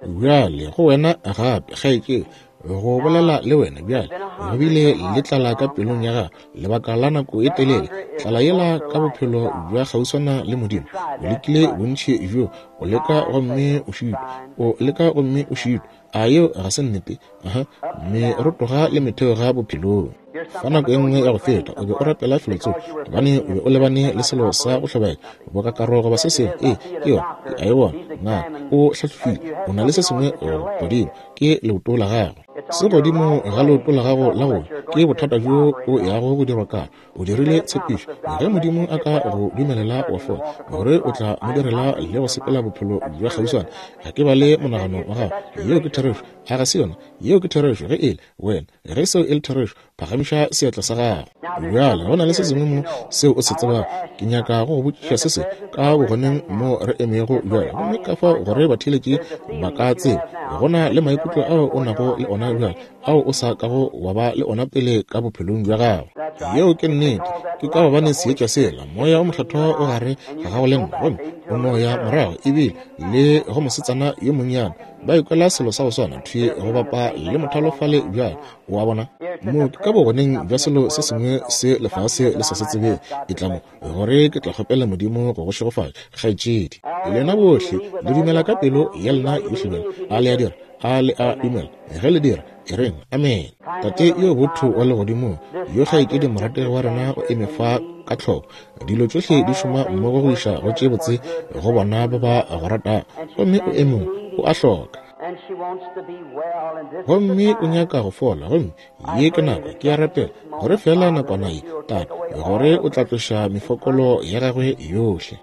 B: Bjale go wena gape, kgaetšedi, go bolela le wena bjale. Go bile le tlala ka pelong ya gago lebaka la nako e telele, tlala yela ka bophelo bja kgauswana le Modimo. O lekile bontši bjo, o leka gomme o šitwa, o leka gomme o šitwa. A yeo ga se nnete? Aha, merotoga le metheoga bophelong. Fa nako e nngwe ya go feta o be o rapela felotsoko gobane o be o lebane le selo sa go hlobaetša boka karo goba se sengwe. Ee, ke yona, ke a e bona. Ngaka o hlahlofile, o na le se sengwe godimo, ke leoto la gago. Se godimo ga leoto la gago la go ja, ke bothata bjo o yago go dirwa karo. O dirile tshepišo, ge Modimo a ka go dumelela wa fola, gore o tla mo direla le go sepela bophelo bja kgauswana. Ga ke bale monagano wa gago. Yeo ke therešo. A ga se yona? Yeo ke therešo. Ge e le wena, ge seo e le therešo, phagamiša seatla sa gago. Bjale, go na le se sengwe mo seo o se tsebago. Ke nyaka go go botšiša se sengwe ka bogoneng mo re emego bjale, gomme ka fao gore batheeletši ba ka tseba. Go na le maikutlo ao o nago le ona bjale ao o sa kago wa ba le ona pele ka bophelong bja gago. Yeo ke nnete. Ke ka gobane seetša sela, Moya o Mokgethwa o gare ga gago le nna, gomme o no ya morago ebile le go mosetsana yo monnyane ba ikwela selo sa go swana thwi go bapa le mothalo fale bjale. O a bona? Mo ke ka bogoneng bja selo se sengwe se lefase le sa se tsebeng. E tla mo gore ke tla kgopela Modimo go go šegofatša, kgaetšedi. Lena bohle le dumela ka pelo ya lena yohle bjale, a le a dira? A le a dumela? Ge le dira, e reng, Amene. Tate yo botho wa Legodimong, yo kgaetšedi morategi wa rena o eme fa ka tlhoko. Dilo tšohle di šoma mmogo go iša go tše botse go bona ba ba go ratago. Gomme o eme mo, o a hloka. Gomme o nyaka go fola, gomme ye ke nako, ke a rapela, gore feela nakwana ye, Tate, gore o tla tloša mefokolo ya gagwe yohle.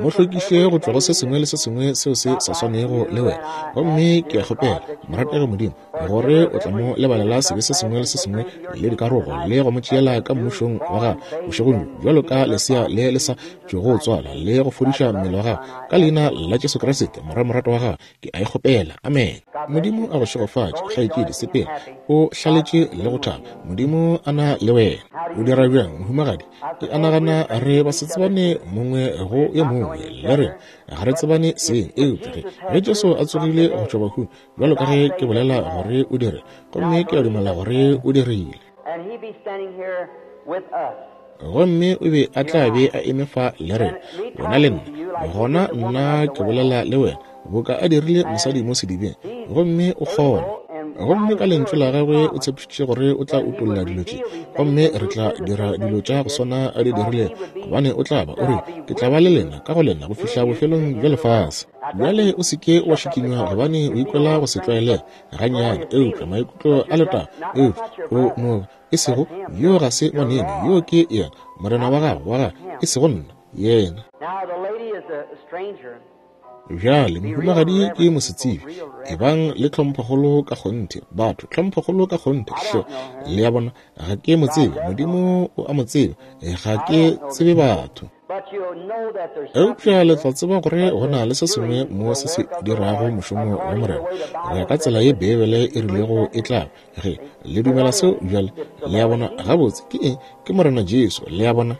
B: Mo hlwekiše go tšwa go se sengwe le se sengwe seo se sa swanego le wena. Gomme ke a kgopela, morategi Modimo, gore o tla mo lebalela sebe se sengwe le se sengwe le dikarogo, le go mo tšeela ka mmušong wa gago bošegong bjo, bjalo ka lesea le le sa tšwago tswalwa, le go fodiša mmele wa gago ka leina la Jesu Kriste, Morwa moratwa wa gago. Ke a e kgopela. Amen. Modimo a go šegofatše, kgaetšedi. Sepela o hlaletše le go thaba. Modimo a na le wena. O dira bjang, mohumagadi? Ke a nagana re ba se tsebane mongwe go yo mongwe, le rena ga re tsebane seng. Eupša ge, ge Jesu a tsogile go tšwa bahung, bjalo ka ge ke bolela gore o dire, gomme ke a dumela gore o dirile, gomme o be a tla be a eme fa le rena, wena le nna, gona nna ke bolela le wena boka a dirile mosadi mo sedibeng, gomme o kgona. Gomme ka lentšu la gagwe o tshepišitše gore o tla utolla dilo tše, gomme re tla dira dilo tša go swana a di dirilego, gobane o tla ba o re, Ke tla ba le lena ka go lena go fihla bofelong bja lefase. Bjale o se ke wa šikinywa gobane o ikwela go se tlwaelege gannyane, eupša maikutlo a letago, eupša o no e sego yo ga se ngwaneno, yo ke yena morena wa gago, wa gago, e sego nna, yena. Bjale mohumagadi ke mosetsebje, ebang le tlhomphokgolo ka kgonthe, batho, tlhomphokgolo ka kgonthe, hle. Le a bona, ga ke mo tsebe, Modimo o a mo tseba, ga ke tsebe batho. Eupša le tla tseba gore go na le se sengwe mo se se dirago mošomo wa Morena, go ya ka tsela ye Beibele e rilego e tla ba. Ge le dumela seo bjale, le a bona, gabotse ke eng? Ke Morena Jesu, le a bona.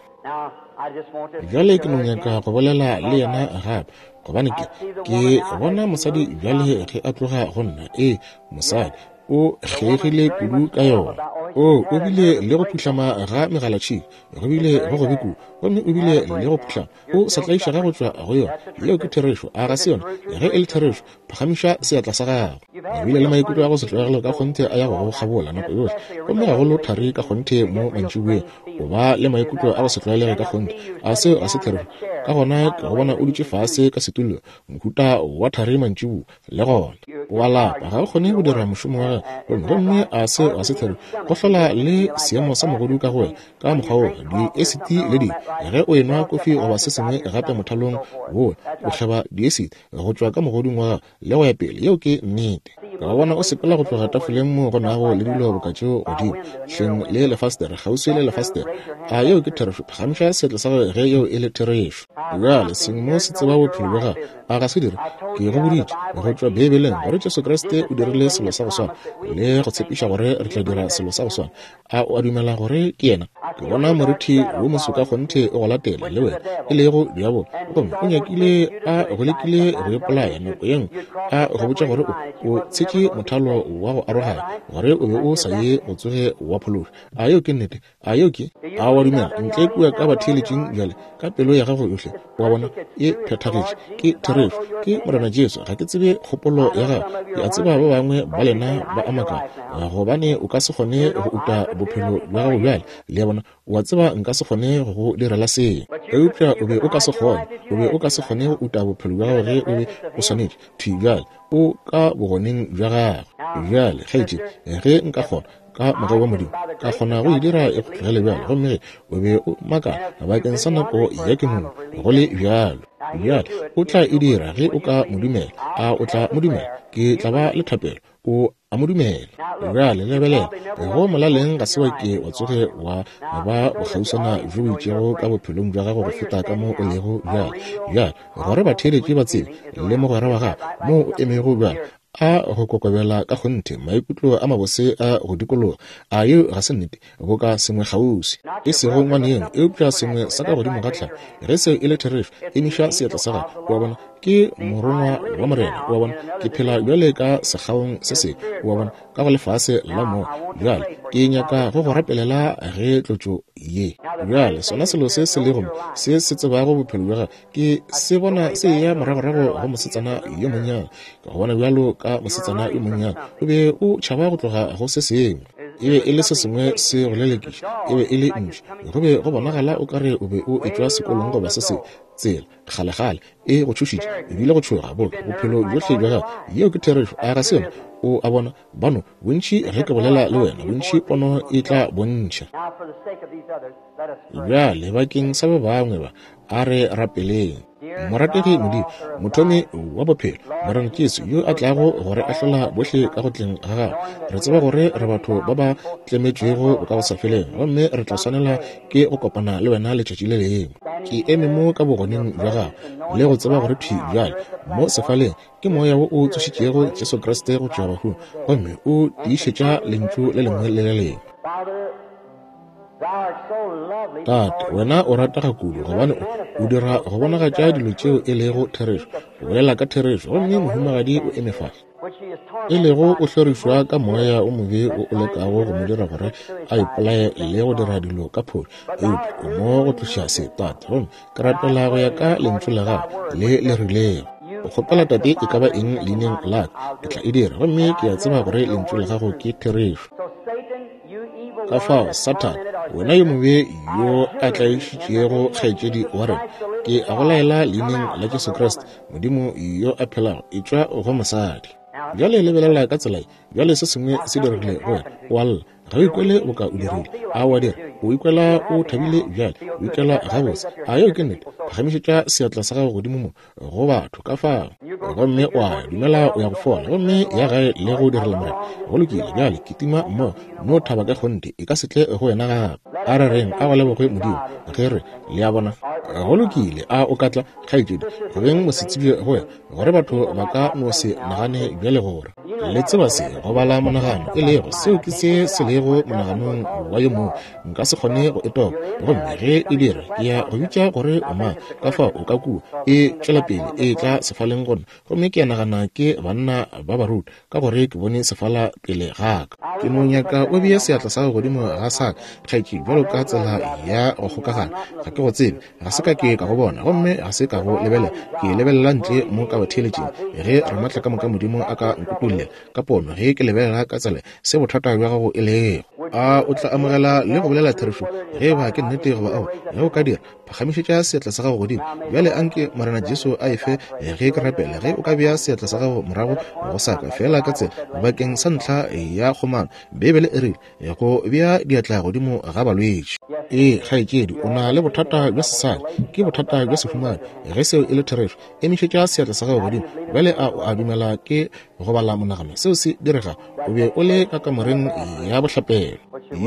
B: Bjale ke no nyaka go bolela le yena gape, gobane ke, ke bona mosadi bjale ge a tloga go nna. Ee, mosadi o kgeigile kudu ka yona. O, o bile le go phuhlama ga megalatšhika, go bile go gobe kudu, gomme o bile le go phuhlama. O sa tlaišega go tšwa go yona. Yeo ke therešo, a ga se yona? Ge e le therešo, phagamiša seatla sa gago. O bile le maikutlo a go se tlwaelege ka kgonthe a ya go go kgabola nako yohle, gomme gagolo thari ka kgonthe mo mantšiboeng. O ba le maikutlo a go se tlwaelege ka kgonthe. A seo ga se therešo? Ka gona ke go bona o dutše fase ka setulong, mohuta wa thari mantšiboa, le gona. O a lapa, ga o kgone go dira mošomo wa gago. Gomme a se ga se thari, go hlola le seemo sa mogodu ka go wena, ka mokgwa wo, diesiti le dilo. Ge o enwa kofi goba se sengwe gape mothalong wo, o hlaba diesiti go tšwa ka mogodung wa gago, le go ya pele. Yeo ke nnete. Ka go bona o sepela go tloga tafoleng moo go nago le dilo boka tšeo godimo, hleng le lefastere, kgauswi le lefastere. A yeo ke therešo? Phagamiša seatla sa gago ge yeo e le therešo. Bjale, sengwe mo se tseba bophelo bja gago, a ga se dire? Ke go boditše go tšwa Beibeleng gore Jesu Kriste o dirile selo sa go swana le go tshepiša gore re tla dira selo sa go swana. A o a dumela gore ke yena? Ke bona morithi wo moso ka kgonthe o go latela le wena, e lego diabolo. Gomme o nyakile a go lekile go ipolaya nako ye nngwe, a go botša gore o tshetše mothalo wa go aroganya, gore o be o sa ye go tsoge wa phološwa. A yeo ke nnete? A yeo ke? A wa dumela? Ntle kua ka batheeletšing bjale, ka pelo ya gago yohle, wa bona e phethagetše. Ke therešo. Ke Morena Jesu. Ga ke tsebe kgopolo ya gago. Ke a tseba ba bangwe ba lena ba a makala, gobane o ka se kgone go uta bophelo bja gago bjale. Le a bona? O a tseba nka se kgone go go direla seo. Eupša o be o ka se kgone, o be o ka se kgone go uta bophelo bja gago ge o be o swanetše. Thwi bjale, o ka bogoneng bja gagwe. Bjale, kgaetšedi, ge nka kgona, ka mogau wa Modimo, ka kgona go e dira e go tlogele bjalo, gomme ge o be o makala bakeng sa nako ya kenono, go le bjalo. Bjale, o tla e dira ge o ka mo dumela. A o tla mo dumela? Ke tla ba le thapelo. O a mo dumela. Bjale lebelela, go molaleng ga se wa ke wa tsoge wa ba bokgauswana bjo bo itšego ka bophelong bja gago go feta ka mo o lego bjale. Bjale, gore batheeletši ba tsebe, le mogwera wa gago, moo o emego bjale, a go kokobela ka kgonthe, maikutlo a mabose a go dikologa. A yeo ga se nnete? Boka sengwe kgauswi, e sego ngwaneno, eupša sengwe sa ka godimo ga tlhago. Ge seo e le therešo, emiša seatla sa gago. O a bona? Ke morongwa wa Morena. O a bona? Ke phela bjale ka sekgaong se sengwe, o a bona, ka go lefase la moya. Bjale ke nyaka go go rapelela ge tlotšo ye. Bjale sona selo se se lego mo, se se tsebago bophelo bja gago, Ke se bona se eya moragorago go mosetsana yo monnyane. Ka go bona bjalo ka mosetsana yo monnyane, o be o tšhaba go tloga go se sengwe. E be e le se sengwe se go lelekiša. E be e le ntši. Go be go bonagala o ka re o be o etšwa sekolong goba se sengwe, tsela, kgalekgale, e go tšhošitše, ebile go tšhoga, boka, bophelo bjohle bja gago. Yeo ke therešo, a ga se yona? O a bona, bano, bontši ge ke bolela le wena, bontši pono e tla bontšha. Bjale, bakeng sa ba bangwe ba, a re rapeleng. Morategi Modimo, Mothomi wa bophelo, Morena Jesu, yo a tlago go re ahlola bohle ka go tleng ga gagwe, re tseba gore re batho ba ba tlemetšwego bokagosafeleng, gomme re tla swanela ke go kopana le wena letšatši le lengwe. Ke eme mo ka bogoneng bja gago, le go tseba gore thwi bjale, mo sefaleng, ke Moya wo o tsošitšego Jesu Kriste go tšwa bahung, gomme o tiišetša Lentšu le lengwe le le lengwe. Tate, wena o ratega kudu gobane o, o dira go bonagatša dilo tšeo e lego therešo, o bolela ka therešo, gomme mohumagadi o eme fa, e lego o hlorišwa ka moya o mobe o o lekago go mo dira gore a ipolaye le go dira dilo ka phošo, eupša o mo go tloša se, Tate, gomme ke rapela go ya ka lentšu la gago le le rilego. O kgopela Tate e ka ba eng leineng la ka, ke tla e dira, gomme ke a tseba gore lentšu la gago ke therešo. Ka fao, Sathane, wena yo mobe yo a tlaišitšego kgaetšedi wa rena, ke a go laela leineng la Jesu Kriste, Modimo yo a phelago, etšwa go mosadi. Bjale lebelela ka tsela ye. Bjale se sengwe se diregile go wena. O a lla. Ga o ikwele boka o dirile. A o a dira? O ikwela o thabile bjale. O ikwela gabotse. A yeo ke nnete? Phagamišetša seatla sa gago godimo mo go batho ka fao, gomme wa dumela o ya go fola, gomme ya gae le go direla Morena. Go lokile, bjale kitima mmogo, no thaba ka kgonthe, e ka se tle go wena gape. A re reng, a go lebogwe Modimo, ge re, le a bona. Go lokile, a o ka tla, kgaetšedi, go beng mosetsebje go wena, gore batho ba ka no se nagane bjale gore le tseba se go bala monagano e lego seo ke se se lego monaganong wa yo mongwe. Nka se kgone go e topa, gomme ge e dira ke ya go bitša gore o mang. Ka fao o ka kua e tšwela pele e tla sefaleng gona, gomme ke a nagana ke banna ba baruti, ka gore ke bone sefala pele ga ka. Ke no nyaka o bee seatla sa gago godimo ga sa ka, kgaetšedi, bjalo ka tsela ya go kgokagana. Ga ke go tsebe, ga se ka ke ka go bona, gomme ga se ka go lebelela. Ke lebelela ntle mo ka batheeletšing, ge Ramatlakamoka Modimo a ka nkutollela ka pono, ge ke lebelela ka tsela se bothata bja gago e lego. lego. A o tla amogela le go bolela therešo ge eba ke nnete goba aowa? Ge o ka dira, phagamišetša seatla sa gago godimo. Bjale anke Morena Jesu a e fe ge ke rapela. Ge o ka bea seatla sa gago morago go sa ka, feela ka tsela, bakeng sa ntlha ya kgomano. Beibele e rile, go bea diatla godimo ga balwetši. Ee, kgaetšedi, o na le bothata bja sesadi, ke bothata bja sehumane. Ge seo e le therešo, emišetša seatla sa gago godimo. Bjale a o a dumela ke go bala monagano seo se direga? O be o le ka kamoreng ya bohlapelo.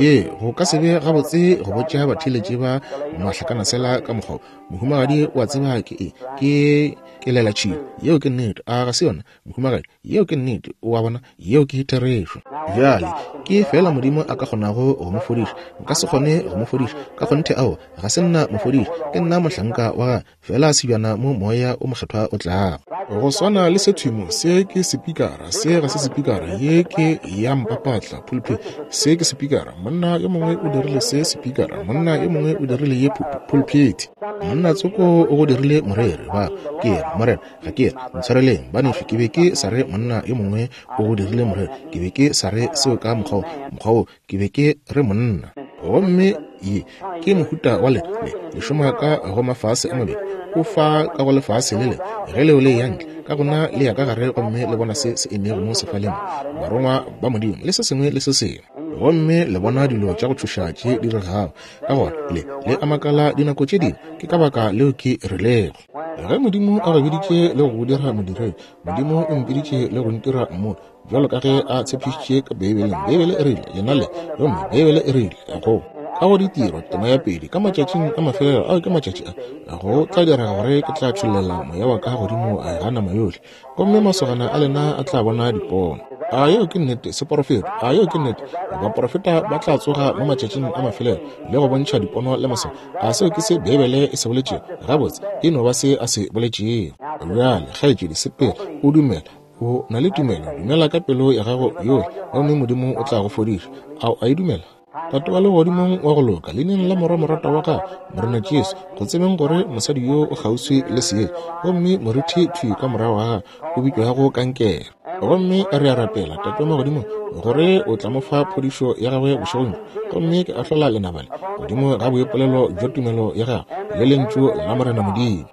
B: Ye go ka se be gabotse go botša batheeletši ba mahlakanasela ka mokgwa wo. Mohumagadi o a tseba ke e ke kelelatšhila. Yeo ke nnete, a ga se yona, mohumagadi? Yeo ke nnete, o a bona, yeo ke therešo. Bjale, ke feela Modimo a ka kgonago go mo fodiša. Nka se kgone go mo fodiša, ka kgonthe aowa, ga se nna mofodiši, ke nna mohlanka wa gagwe, feela sebjana mo Moya o Mokgethwa o tlago. Go swana le se thwi mo, se ke sepikara, se ga se sepikara, ye ke ya mpapatla, pulpit, se ke sepikara, monna yo mongwe o dirile se sepikara, monna yo mongwe o dirile ye pulpit, monna tsoko o go dirile moreri, ba, ke re, Morena, Ga ke re, ntshwareleng, banešu, ke be ke sa re monna yo mongwe o go dirile moreri. Ke be ke sa re seo ka mokgwa wo, mokgwa wo, ke be ke re monna. Gomme ye ke mohuta wa le, le, le šoma ka go mafase a mabedi. O fa ka go lefase le le, ge leo le eya ntle, ka gona le ya ka gare gomme le bona se se emego mo sefaleng, barongwa ba Modimo, le se sengwe le se sengwe. Gomme le bona dilo tša go tšhoša tše di diregago. Ka gona le, le a makala dinako tše dingwe, ke ka baka leo ke rilego. Ge Modimo a go biditše le go go dira modiredi, Modimo o mpiditše le go ntira mmoni, bjalo ka ge a tshepišitše ka Beibeleng. Beibele e rile, lena le, gomme Beibele e rile, go ka go ditiro, tema ya pedi, ka matšatšing a mafelelo, ao ke matšatši a, go tla direga gore ke tla tšhollela moya wa ka godimo ga nama yohle, gomme masogana a lena a tla bona dipono. A yeo ke nnete, seporofeto? A yeo ke nnete? Baporofeta ba tla tsoga mo matšatšing a mafelelo le go bontšha dipono le maswao. A seo ke se Beibele e se boletšego? Gabotse, e no ba se a se boletšego. Bjale, kgaetšedi, sepela, o dumela. O na le tumelo, dumela ka pelo ya gago yohle, gomme Modimo o tla go fodiša. A o a e dumela? Tate wa Legodimong wa go loka, leineng la Morwa moratwa wa Gago, Morena Jesu, go tsebeng gore mosadi yo o kgauswi le seetša, gomme morithi thwi ka morago ga gagwe o bitšwago kankere. Gomme re a rapela, Tate wa Magodimong, gore o tla mo fa phodišo ya gagwe bošegong bjo. Gomme ke ahlola lenaba le godimo ga boipolelo bja tumelo ya gagwe le Lentšu la Morena Modimo.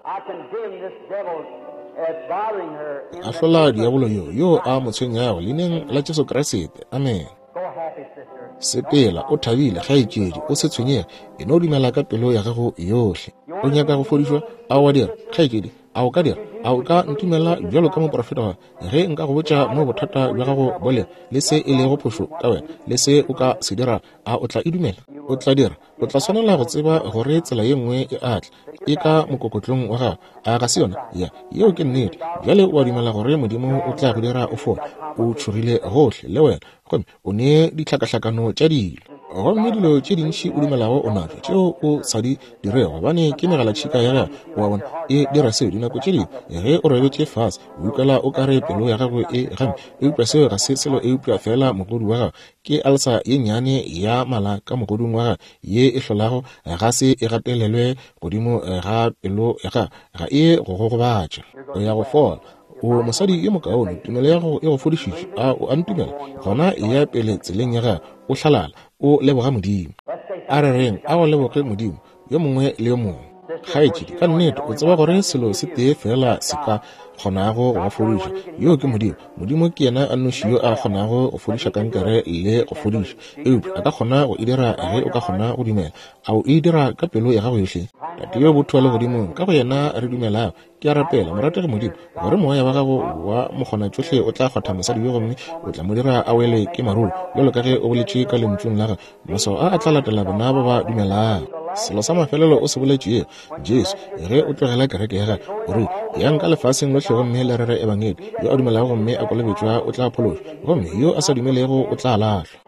B: Ke ahlola diabolo yo, yo a mo tshwenyago, Leineng la Jesu Kriste. Amene. Sepela o thabile, kgaetšedi, o se tshwenyege, e no dumela ka pelo ya gago yohle. O nyaka go fodišwa? A o a dira, kgaetšedi? A o ka dira? A o ka ntumela bjalo ka moprofeta wa ge nka go botša mo bothata bja gago bo lego, le se e lego phošo ka wena, le se o ka se dirago? A o tla e dumela? O tla dira. O tla swanela go tseba gore tsela ye nngwe e a tla, e ka mokokotlong wa gago. A ga se yona? Ya, yeo ke nnete. Bjale o a dumela gore Modimo o tla go dira o fole? O tšhogile gohle, le wena, gomme o ne ditlhakahlakano tša dilo. Gomme dilo tše dintši o dumelago o natšo, tšeo o sa di dirego, gobane ke megalatšhika ya gago, o a bona, e dira seo. Dinako tše dingwe ge o robetše fase, o ikwela o ka re pelo ya gago e gampe, eupša seo ga se selo eupša feela mogodu wa gago. Ke alsa ye nnyane ya mala ka mogodung wa gagwe ye e hlolago ga se e gatelelwe godimo ga pelo ya gagwe, ga e go gogobatša. O ya go fola. O mosadi yo mokaone, tumelo ya gago e go fodišitše. A o a ntumela? Gona eya pele tseleng ya gago, o hlalala, o leboga Modimo. A re reng, a go leboge Modimo, yo mongwe le yo mongwe. Kgaetšedi, ka nnete o tseba gore selo se tee feela se ka kgonago go ba fodiša, yoo ke Modimo. Modimo ke yena a nnoši yo a kgonago go fodiša kankere le go fodiša. Eupša a ka kgona go e dira ge o ka kgona go dumela. A o e dira ka pelo ya gago yohle? Tate yo botho wa Legodimong, ka go yena re dumelago, Ke a rapela, morategi Modimo, gore Moya wa Gago wa mokgonatšohle o tla kgwatha mosadi yo gomme o tla mo dira a wele ke marolo, bjalo ka ge o boletše ka Lentšung la Gago, Maswao a a tla latela bona ba ba dumelago. Selo sa mafelelo o se boletšego, Jesu, ge o tlogela kereke ya Gago, o rile, Yang ka lefaseng lohle gomme le rere Ebangedi. Yo a dumelago gomme a kolobetšwa o tla phološwa, gomme yo a sa dumelego o tla lahlwa.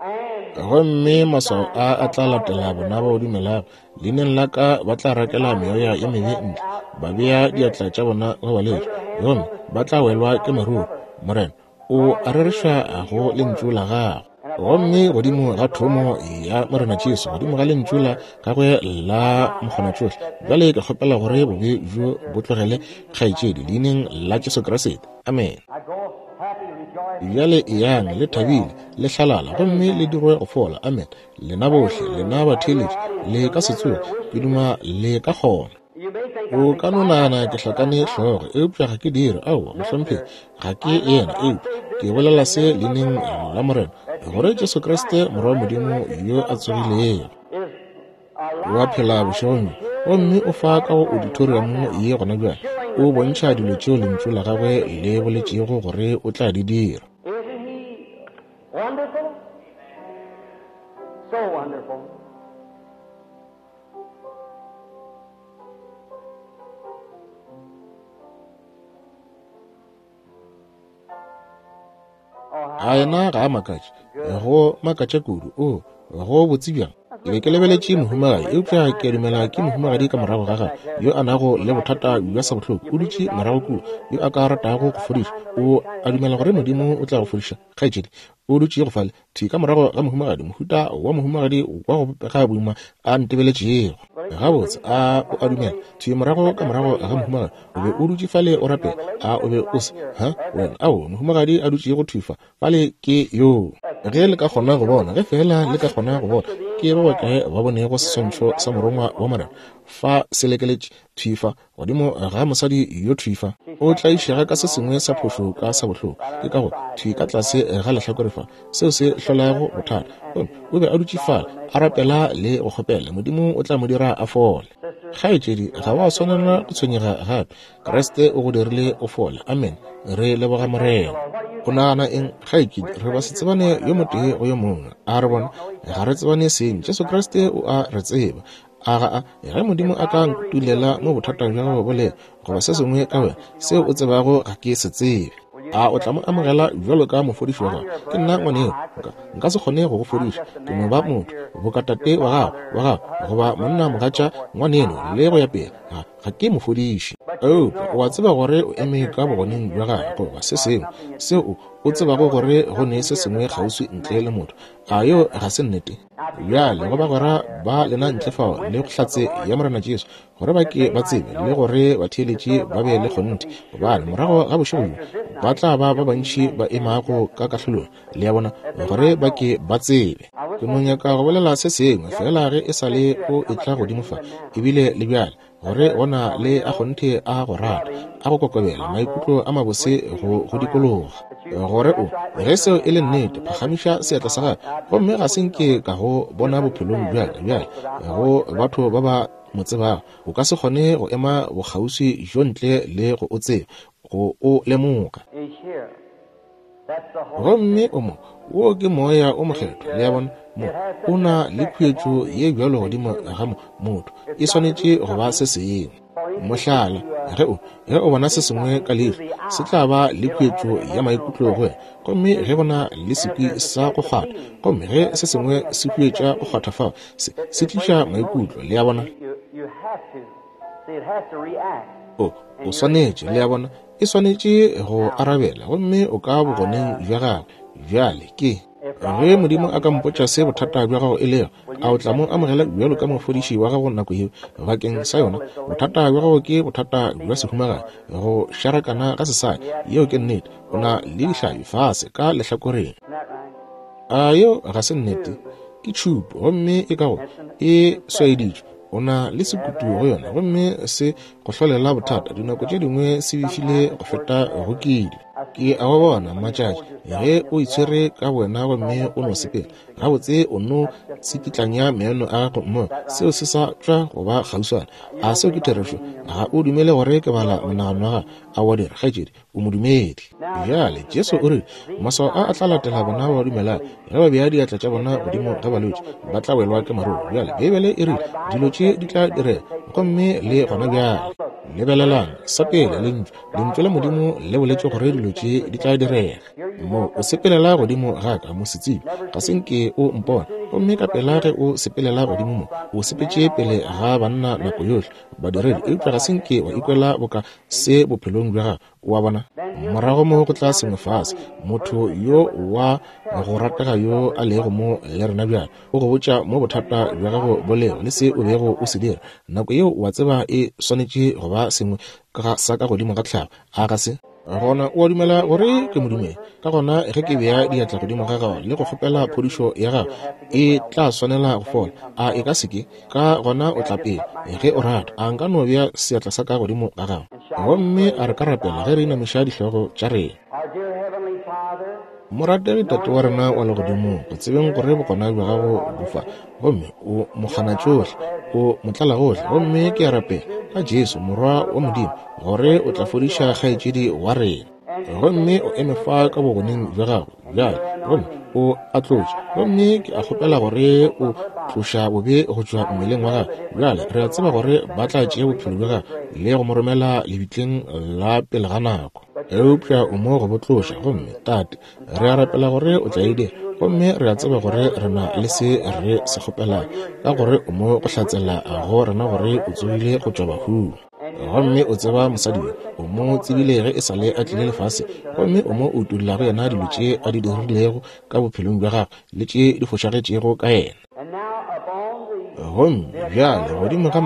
B: Gomme maswao a a tla latela bona ba o dumelago. Leineng la ka ba tla rakela meoya ye mebe ntle, ba bea diatla tša bona go balwetši, gomme ba tla welwa ke maruru. Morena, o a rereša go lentšu la gago. Gomme godimo ga thomo ya Morena Jesu, godimo ga lentšu la gagwe la mokgonatšohle, bjale ke kgopela gore bobe bjo bo tlogele kgaetšedi, leineng la Jesu Kriste. Amene. Bjale eyang le thabile, le hlalala, gomme le dirwe go fola. Amen. Lena bohle, lena batheeletši, le ka se tsoge, ke duma le ka kgona. O ka no nagana ke hlakane hlogo, eupša ga ke dire. Aowa, mohlomphegi, ga ke yena, eupša ke bolela se leineng la Morena, gore Jesu Kriste, Morwa wa Modimo yo a tsogilego, wa phela bošegong bjo, gomme o fa ka go auditorium ye gona bjale, o bontšha dilo tšeo Lentšu la Gagwe le boletšego gore o tla di dira.
A: Isn't he wonderful? So wonderful.
B: A yena ga a makatše? Go makatša kudu. O, go botse bjang. Ke be ke lebeletše mohumagadi, eupša ke a dumela ke mohumagadi ka morago ga gagwe yo a nago le bothata bja sabohloko, o dutše morago kua, yo a ka ratago go fodišwa. O a dumela gore Modimo o tla go fodiša, kgaetšedi? O dutšego fale, thwi ka morago ga mohumagadi, mohuta wa mohumagadi wa go bopega boima a ntebeletšego. Gabotse, a o a dumela? Thwi morago ka morago ga mohumagadi, o be o dutše fale o rapela, a o be o se? Ha, wena, aowa, mohumagadi a dutšego thwi fa, fale ke yoo. Ge le ka kgona go bona, ge feela le ka kgona go bona, ke ba bakae ba bonego seswantšho sa Morongwa wa Morena fa se lekeletše thwi fa godimo ga mosadi yo thwi fa? O tlaišega ka se sengwe sa phošo ka sabohloko, ke ka go thwi ka tlase ga lehlakore fa, seo se hlolago bothata. Gomme o be a dutše fale a rapela le go kgopela Modimo o tla mo dira a fole. Kgaetšedi, ga wa swanela go tshwenyega gape. Kriste o go dirile o fole. Amen. Re leboga Morena. O nagana eng, kgaetšedi? Re ba se tsebane yo motee go yo mongwe. A re bona ga re tsebane seng. Jesu Kriste o a re tseba. A ga a? Ge Modimo a ka nkutulela mo bothata bja gago bo lego, goba se sengwe ka wena, seo o tsebago ga ke se tsebe, a o tla mo amogela bjalo ka mofodiši wa gago? Ke nna ngwaneo, nka, nka se kgone go go fodiša. Ke no ba motho, boka tate wa gago, wa gago, goba monna mogatša ngwaneno, le go ya pele. Ga, ga ke mofodiši. Eupša o a tseba gore o eme ka bogoneng bja gagwe, goba se sengwe, seo o, o tsebago gore go ne se sengwe kgauswi ntle le motho. A yeo ga se nnete? Bjale go bagwera ba lena ntle fao le go hlatse ya Morena Jesu, gore ba ke ba tsebe le gore batheeletši ba be le kgonthe, gobane morago ga bošego bjo ba tla ba ba bantši ba emago ka kahlolong, le a bona, gore ba ke ba tsebe. Ke no nyaka go bolela se sengwe feela ge e sa le o etla godimo fa, ebile le bjale, gore go na le a kgonthe a go rata, a go kokobela, maikutlo a mabose go go dikologa. Gore o, ge seo e le nnete, phagamiša seatla sa gago. Gomme ga se nke ka go bona bophelong bja ka bjale, go batho ba ba mo tsebago, o ka se kgone go ema bokgauswi bjo ntle le go o tseba, go o lemoga. Gomme o mo, wo ke Moya o Mokgethwa, le a bona, mo o na le khuetšo ye bjalo godimo ga mo, motho, e swanetše go ba se sengwe. Mohlala, ge o, ge o bona se sengwe ka leihlo, se tla ba le khuetšo ya maikutlo go wena. Gomme ge go na le sekwi sa go kgwatha, gomme ge se sengwe se huetša go kgwatha fao, se, se tliša maikutlo, le a bona. O, o swanetše, le a bona, e swanetše go arabela, gomme o ka bogoneng bja gagwe. Bjale ke. Ge Modimo a ka mpotša se bothata bja gago e lego, a o tla mo amogela bjalo ka mofodiši wa gago nako yeo? Bakeng sa yona, bothata bja gago ke bothata bja sehumagadi, go šarakana ga sesadi. Yeo ke nnete. O na le dihlabi fase ka lehlakoreng. A yeo ga se nnete? Ke tšhupo, gomme e ka go e swaeditšwe. O na le sekutu go yona, gomme se go hlolela bothata. Dinako tše dingwe se befile go feta go kile. Ke a go bona, matšatši, ge o itshwere ka bowena gomme o no sepela gabotse, o no tsikitlanya meno a gago mo, seo se sa tšwa go ba kgauswana. A seo ke therešo? Ga o dumele gore ke bala monagano wa gago? A wa dira, kgaetšedi? O modumedi. Bjale, Jesu o rile, Maswao a a tla latela bona ba ba dumelago. Ge ba bea diatla tša bona godimo ga balwetši, ba tla welwa ke maruru. Bjale, Beibele e rile, Dilo tše di tla direga, gomme le gona bjale. Lebelelang, sa pele, Lentšu, Lentšu la Modimo le boletše gore dilo tše di tla direga. Mo o sepelela godimo ga ka, mosetsebje, ga se nke o mpone. Gomme ka pela ge o sepelela godimo mo, o sepetše pele ga banna nako yohle, badiredi, eupša ga se nke wa ikwela boka se bophelong bja gago. O a bona? Morago mo go tla sengwe fase, motho yo wa go ratega yo a lego mo le rena bjale, o go botša mo bothata bja gago bo lego le se o bego o se dira. Nako yeo o a tseba e swanetše go ba sengwe sa ka godimo ga tlhago, a ga se? Gona o a dumela gore ke modumedi. Ka gona ge ke bea diatla godimo ga gago le go kgopela phodišo ya gago, e tla swanela go fola. A e ka se ke? Ka gona o tla pele, ge o rata. A nka no bea seatla sa ka godimo ga gago? Gomme a re ka rapela ge re inamiša dihlogo tša rena. Morategi Tate wa rena wa Legodimong, go tsebeng gore bokona bja gago bo fa, gomme o mokganatšohle, o motlalagohle, gomme ke a rapela ka Jesu Morwa wa Modimo gore o tla fodiša kgaetšedi wa rena. Gomme o eme fa ka bogoneng bja gago bjale, gomme o a tlotše, gomme ke a kgopela gore o tloša bobe go tšwa mmeleng wa gagwe. Bjale re a tseba gore ba tla tšea bophelo bja gagwe le go mo romela lebitleng la pele ga nako. Eupša o mo go bo tloša, gomme, Tate, re a rapela gore o tla e dira. Gomme re a tseba gore re na le se re se kgopelago, ka gore o mo go hlatsela go rena gore o tsogile go tšwa bahung. Gomme o tseba mosadi yo, o mo tsebile ge e sa le a tlile lefase, gomme o mo utolla go yena dilo tše a di dirilego ka bophelong bja gagwe le tše di fošagetšego ka yena. Gomme bjale godimo ga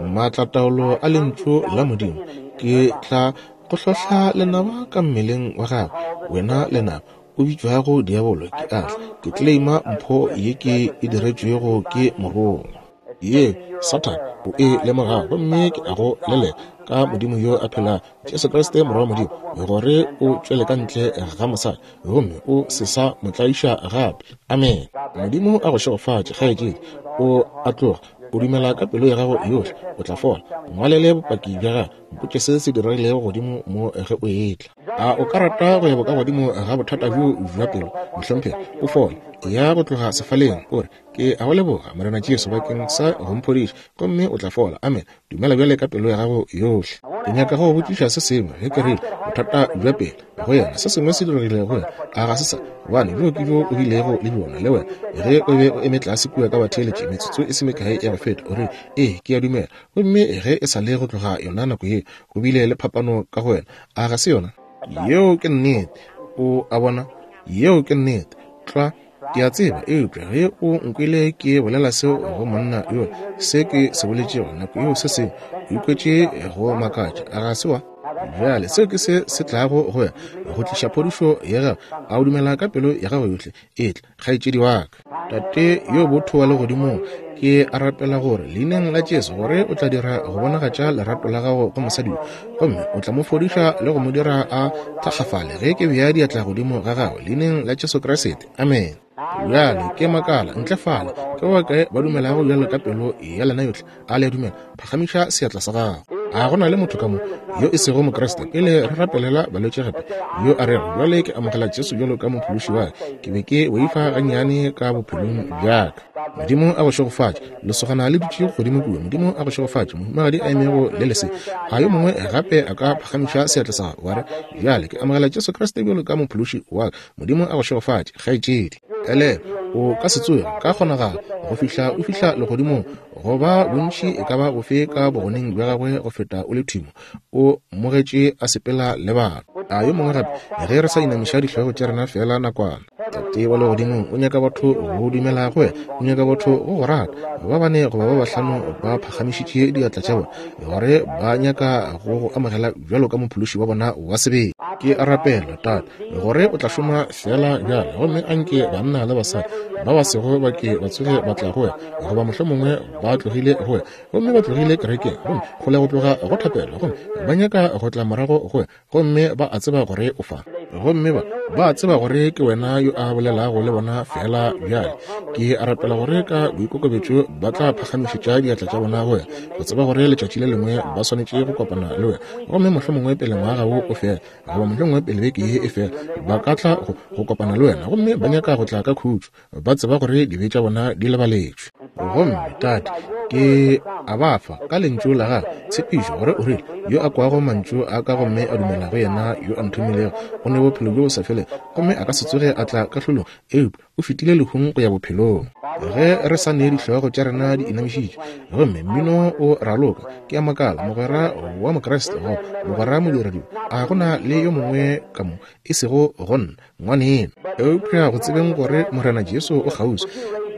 B: maatlataolo a Lentšu la Modimo, ke tla go hlohla lenaba ka mmeleng wa gago, wena lenaba, o bitšwago diabolo, ke a tla, ke claima mpho ye ke e diretšwego ke morongwa. Ye, Sathane, o e lemogago, gomme ke a go leleka ka Modimo yo a phelago, Jesu Kriste Morwa wa Modimo, gore o tšwele ka ntle ga mosadi, gomme o se sa mo tlaiša gape. Amene. Modimo a go šegofatše, kgaetšedi. O a tloga, o dumela ka pelo ya gago yohle, o tla fola. Ngwalele bopaki bja gago. Mpotše se se diregilego godimo mo ge o etla. A o ka rata go ya bokagodimo ga bothata bjo bja pelo, mohlomphegi? O fole. Ya go tloga sefaleng, o re, Ke a go leboga, Morena Jesu, bakeng sa go mphodiša, gomme o tla fola. Amen. Dumela bjale ka pelo ya gago yohle. Ke nyaka go go botšiša se sengwe. Ge ke rile, bothata bja pelo, go yena, se sengwe se diregile go yena. A ga se sa? Gobane bjo ke bjo o bilego le bjona, le wena, ge o be o eme tlase kua ka batheeletši metsotso e se mekae ya go feta. O rile, Ee, ke a dumela. Gomme ge e sa le go tloga yona nako yeo, go bile le phapano ka go wena. A ga se yona? Yeo ke nnete. O a bona? Yeo ke nnete. Tlwa. Ke a tseba, eupša ge o nkwele ke bolela seo go monna yo, se ke se boletšego nako yeo se sengwe, o ikwetše go makatša. A ga se wa? Bjale, seo ke se se tlago go wena, go tliša phodišo ya gago. A o dumela ka pelo ya gago yohle? Etla, kgaetšedi wa ka. Tate yo botho wa Legodimong, ke a rapela gore Leineng la Jesu gore o tla dira go bonagatša lerato la gago go mosadi yo, gomme o tla mo fodiša le go mo dira a thakgafale ge ke bea diatla godimo ga gagwe, Leineng la Jesu Kriste. Amen. Bjale ke makala ntle fale, ke ba bakae ba dumelago bjalo ka pelo ya lena yohle? A le a dumela? Phagamiša seatla sa gago. A go na le motho ka mo yo e sego Mokriste, pele re rapelela balwetši gape, yo a rego, Bjale ke amogela Jesu bjalo ka Mophološi wa ka. Ke be ke boifa gannyane ka bophelong bja ka. Modimo a go šegofatše. Lesogana le dutše godimo kua. Modimo a go šegofatše. Mohumagadi a emego le lese. A yo mongwe gape a ka phagamiša seatla sa gago, wa re, Bjale ke amogela Jesu Kriste bjalo ka Mophološi wa ka. Modimo a go šegofatše, kgaetšedi. Elelwa, o ka se tsoge ka kgonagalo go fihla o fihla legodimong, go ba bontši e ka ba bofe ka bogoneng bja gagwe go feta o le thimo o mmogetše a sepela le batho. A yo mongwe gape, ge re sa inamiša dihlogo tša rena feela nakwana. Tate wa Legodimong, o nyaka batho go dumela go wena. O nyaka batho go go rata. Ba bane goba ba bahlano ba phagamišitše diatla tša bona, gore ba nyaka go go amogela bjalo ka Mophološi wa bona wa sebele. Ke a rapela, Tate, gore o tla šoma feela bjale, gomme anke banna le basadi ba ba sego ba ke ba tsoge ba tla go wena, goba mohlomongwe ba tlogile go wena, gomme ba tlogile kerekeng, gomme kgole go tloga go thapelo, gomme ba nyaka go tla morago go wena, gomme ba a tseba gore o fa, gomme ba, ba a tseba gore ke wena yo a bolelago le bona feela bjale. Ke a rapela gore ka boikokobetšo ba tla phagamišetša diatla tša bona go wena, go tseba gore letšatši le lengwe ba swanetše go kopana le wena, gomme mohlomongwe pele ngwaga wo o fela, goba mohlomongwe pele beke ye e fela, ba ka tla go, go kopana le wena, gomme ba nyaka go tla ka khutšo, ba tseba gore dibe tša bona di lebaletšwe. Gomme, Tate, ke a ba fa, ka Lentšu la Gago, tshepišo, gore O rile, Yo a kwago Mantšu a Ka gomme a dumela go Yena yo a Nthomilego, o ne Bophelo bjo bo sa felego, gomme a ka se tsoge a tla kahlolong, eupša o fetile lehung go ya bophelong. Ge re sa ne dihlogo tša rena di inamišitšwe, gomme mmino o raloka, ke a makala, mogwera wa Mokriste goba mogwera modiradibe, a go na le yo mongwe ka mo, e sego go nna, ngwaneno, eupša go tsebeng gore Morena Jesu o kgauswi,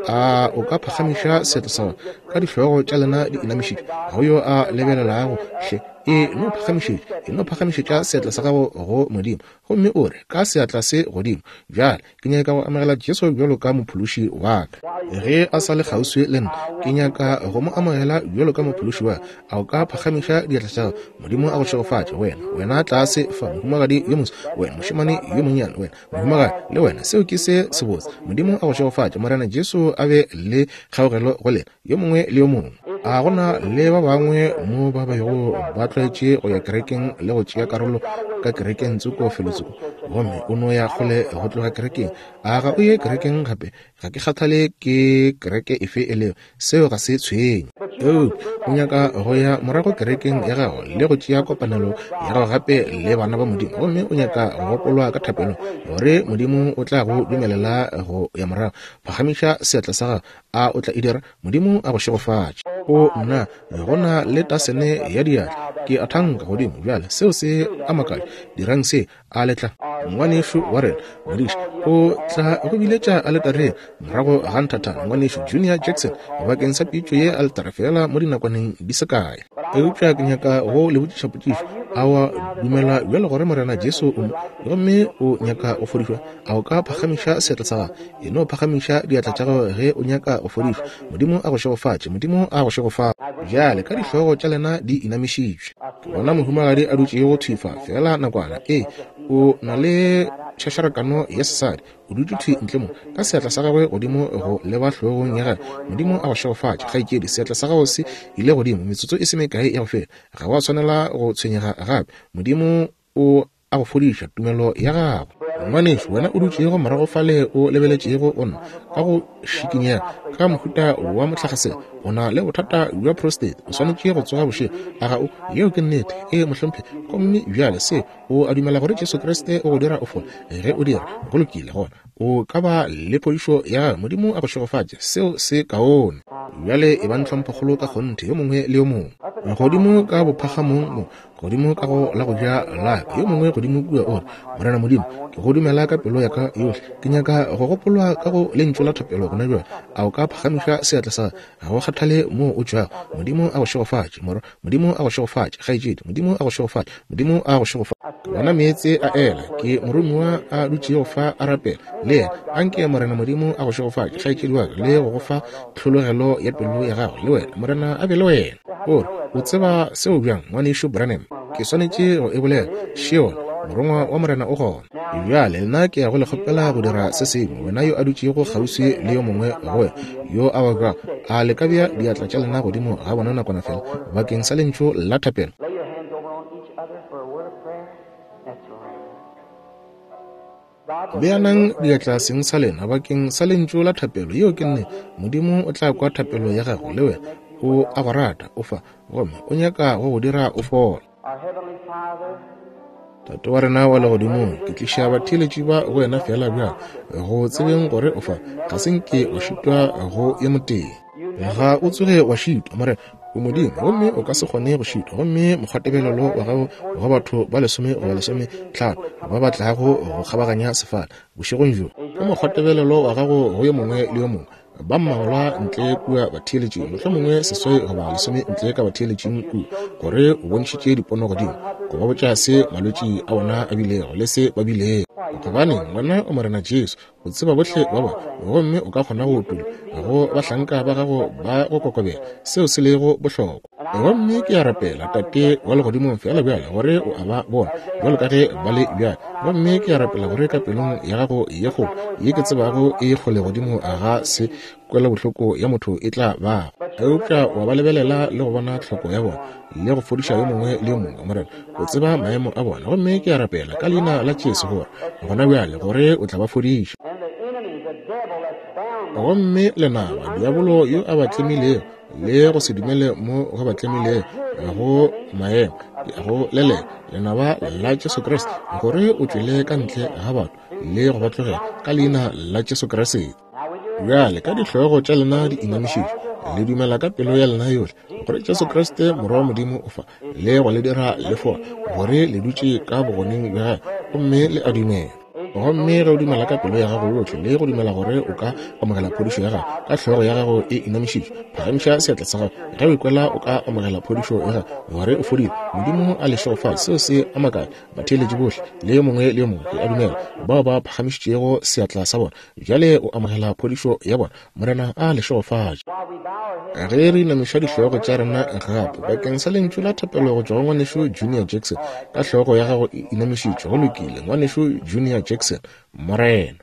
B: a o ka phagamiša seatla sa gago ka dihlogo tša lena di inamišitšwe, ga go yo a lebelelago, hle. E no phagamišetša, e no phagamišetša seatla sa gago go Modimo, gomme o re, ka seatla se godimo, bjale ke nyaka go amogela Jesu bjalo ka mophološi wa ka. Ge a sa le kgauswi le nna, ke nyaka go mo amogela bjalo ka mophološi wa ka. A o ka phagamiša diatla tša gago? Modimo a go šegofatše, wena, wena tlase fa, mohumagadi yo moso, wena mošemane yo monnyane, wena mohumagadi, le wena. Seo ke se sebotse. Modimo a go šegofatše. Morena Jesu a be le kgaogelo go lena, yo mongwe le yo mongwe. A go na le ba bangwe mo ba bego ba tlwaetše go ya kerekeng le go tšea karolo ka kerekeng tsoko felotsoko, gomme o no ya kgole go tloga kerekeng? A ga o ye kerekeng gape? Ga ke kgathale ke kereke efe e lego, seo ga se tshwenye. Eupša o nyaka go ya morago kerekeng ya gago le go tšea kopanelo ya gago gape le bana ba Modimo, gomme o nyaka go gopolwa ka thapelong gore Modimo o tla go dumelela go ya morago. Phagamiša seatla sa gago. A o tla e dira? Modimo a go šegofatše. O nna, go na le tasene ya diatla. Ke a thanka godimo bjale. Seo se a makatša. Dirang se, a le tla. Ngwanešu wa rena, modiši, o tla go biletša aletareng morago ga nthathana, Ngwanešu Junior Jackson, bakeng sa pitšo ye aletare feela mo dinakwaneng di se kae. Eupša ke nyaka go le botšiša potšišo. A wa dumela bjalo gore Morena Jesu o mo, gomme o nyaka go fodišwa? A o ka phagamiša seatla sa gago? E no phagamiša diatla tša gago ge o nyaka go fodišwa. Modimo a go šegofatše. Modimo a go šegofatše. Bjale ka dihlogo tša lena di inamišitšwe. Ke bona mohumagadi a dutšego thwi fa, feela nakwana. Ee, o na le tšhašarakano ya sesadi. O dutše thwi ntle mo, ka seatla sa gagwe godimo go leba hlogong ya gagwe. Modimo a go šegofatše, kgaetšedi. Seatla sa gago se ile godimo metsotso e se mekae ya go feta. Ga wa swanela go tshwenyega gape. Modimo o a go fodiša tumelo ya gago. Ngwanešu, wena o dutšego morago fale o lebeletšego go nna ka go šikinyega ka mohuta wa mohlagasela, o na le bothata bja prostate, o swanetše go tsoga bošego. A ga o? Yeo ke nnete. Ee, mohlomphegi. Gomme bjale se, o a dumela gore Jesu Kriste o go dira o fole? Ge o dira, go lokile, gona o ka ba le phodišo ya gago. Modimo a go šegofatše. Seo se kaone. Bjale e bang tlhomphokgolo ka kgonthe, yo mongwe le yo mongwe. Godimo ka bophagamong mo, godimo ka go la go ja la ka, yo mongwe godimo kua o re, Morena Modimo, ke go dumela ka pelo ya ka yohle. Ke nyaka go gopolwa ka go lentšu la thapelo gona bjale. A o ka phagamiša seatla sa ga go kgathale moo o tšwago? Modimo a go šegofatše, morwa. Modimo a go šegofatše, kgaetšedi. Modimo a go šegofatše. Modimo a go šegofatše. Ke bona meetse a ela. Ke moromiwa a dutšego fa a rapela le yena. Anke Morena Modimo a go šegofatše, kgaetšedi wa ka, le go go fa tlhologelo ya pelo ya gago, le wena. Morena a be le wena. O re, O tseba seo bjang, Ngwanešu Branham? Ke swanetše go e bolela. Sheol, Morongwa wa Morena o gona. Bjale, nna ke ya go le kgopela go dira se sengwe. Wena yo a dutšego kgauswi le yo mongwe go wena, yo a babjago, a le ka bea diatla tša lena godimo ga bona nakwana fela, bakeng sa lentšu la thapelo?
A: Lay your hands over on each other for a word of prayer. That's right.
B: Beanang diatla seng sa lena bakeng sa lentšu la thapelo. Yeo ke nnete. Modimo o tla kwa thapelo ya gago, le wena. O a go rata, o fa, gomme o nyaka go go dira o fola.
A: Our Heavenly Father,
B: Tate wa rena wa legodimong, ke tliša batheeletši ba go wena feela bjalo, go tsebeng gore o fa, ga se nke o šitwa go yo motee. Ga o tsoge wa šitwa, Morena. O Modimo, gomme o ka se kgone go šitwa. Gomme mokgwatebelelo wa gago go batho ba lesome goba lesometlhano ba ba tlago go kgabaganya sefala bošegong bjo, ke mokgwatebelelo wa gago go yo mongwe le yo mongwe ba mmalwa ntle kua batheeletšing, mohlomongwe seswai goba lesome ntle ka batheeletšing kua, gore o bontšhitše dipono godimo, go ba botša se malwetši a bona a bilego le se ba bilego. Gobaneng, wena o Morena Jesu, o tseba bohle ba bona, gomme o ka kgona go utolla go bahlanka ba gago ba go kokobela seo se lego bohlokwa. Gomme ke a rapela, Tate wa Legodimong, feela bjale gore o a ba bona bjalo ka ge ba le bjale. Gomme ke a rapela gore ka pelong ya gago ye kgolo, ye ke tsebago e kgole godimo ga se kwelobohloko ya motho e tla bago, eupša wa ba lebelela le go bona tlhoko ya bona le go fodiša yo mongwe le yo mongwe. Morena, o tseba maemo a bona. Gomme ke a rapela ka leina la Jesu gore gona bjale gore o tla ba fodiša. Gomme lenaba, diabolo yo a ba tlemilego, le go se dumele mo go ba tlemilego go maemo, go leleka lenaba la Jesu Kriste, gore o tšwele ka ntle ga batho le go ba tlogela ka leina la Jesu Kriste. Bjale ka dihlogo tša lena di inamišitšwe, le dumela ka pelo ya lena yohle gore Jesu Kriste Morwa wa Modimo o fa le go le dira le fola, gore le dutše ka bogoneng bja gagwe gomme le a dumela. Gomme ge o dumela ka pelo ya gago yohle le go dumela gore o ka amogela phodišo ya gago, ka hlogo ya gago e inamišitšwe, phagamiša seatla sa gago ge o ikwela o ka amogela phodišo ya gago, gore o fodile. Modimo a le šegofatše. Seo se a makatša batheeletši bohle, le yo mongwe le yo mongwe, ke a dumela, bao ba phagamišitšego seatla sa bona. Bjale o amogela phodišo ya bona. Morena a le šegofatše. Ge re inamiša dihlogo tša rena gape bakeng sa lentšu la thapelo go tšwa go ngwanešu Junior Jackson, ka hlogo ya gago e inamišitšwe. Go lokile, ngwanešu Junior Jackson. Morena.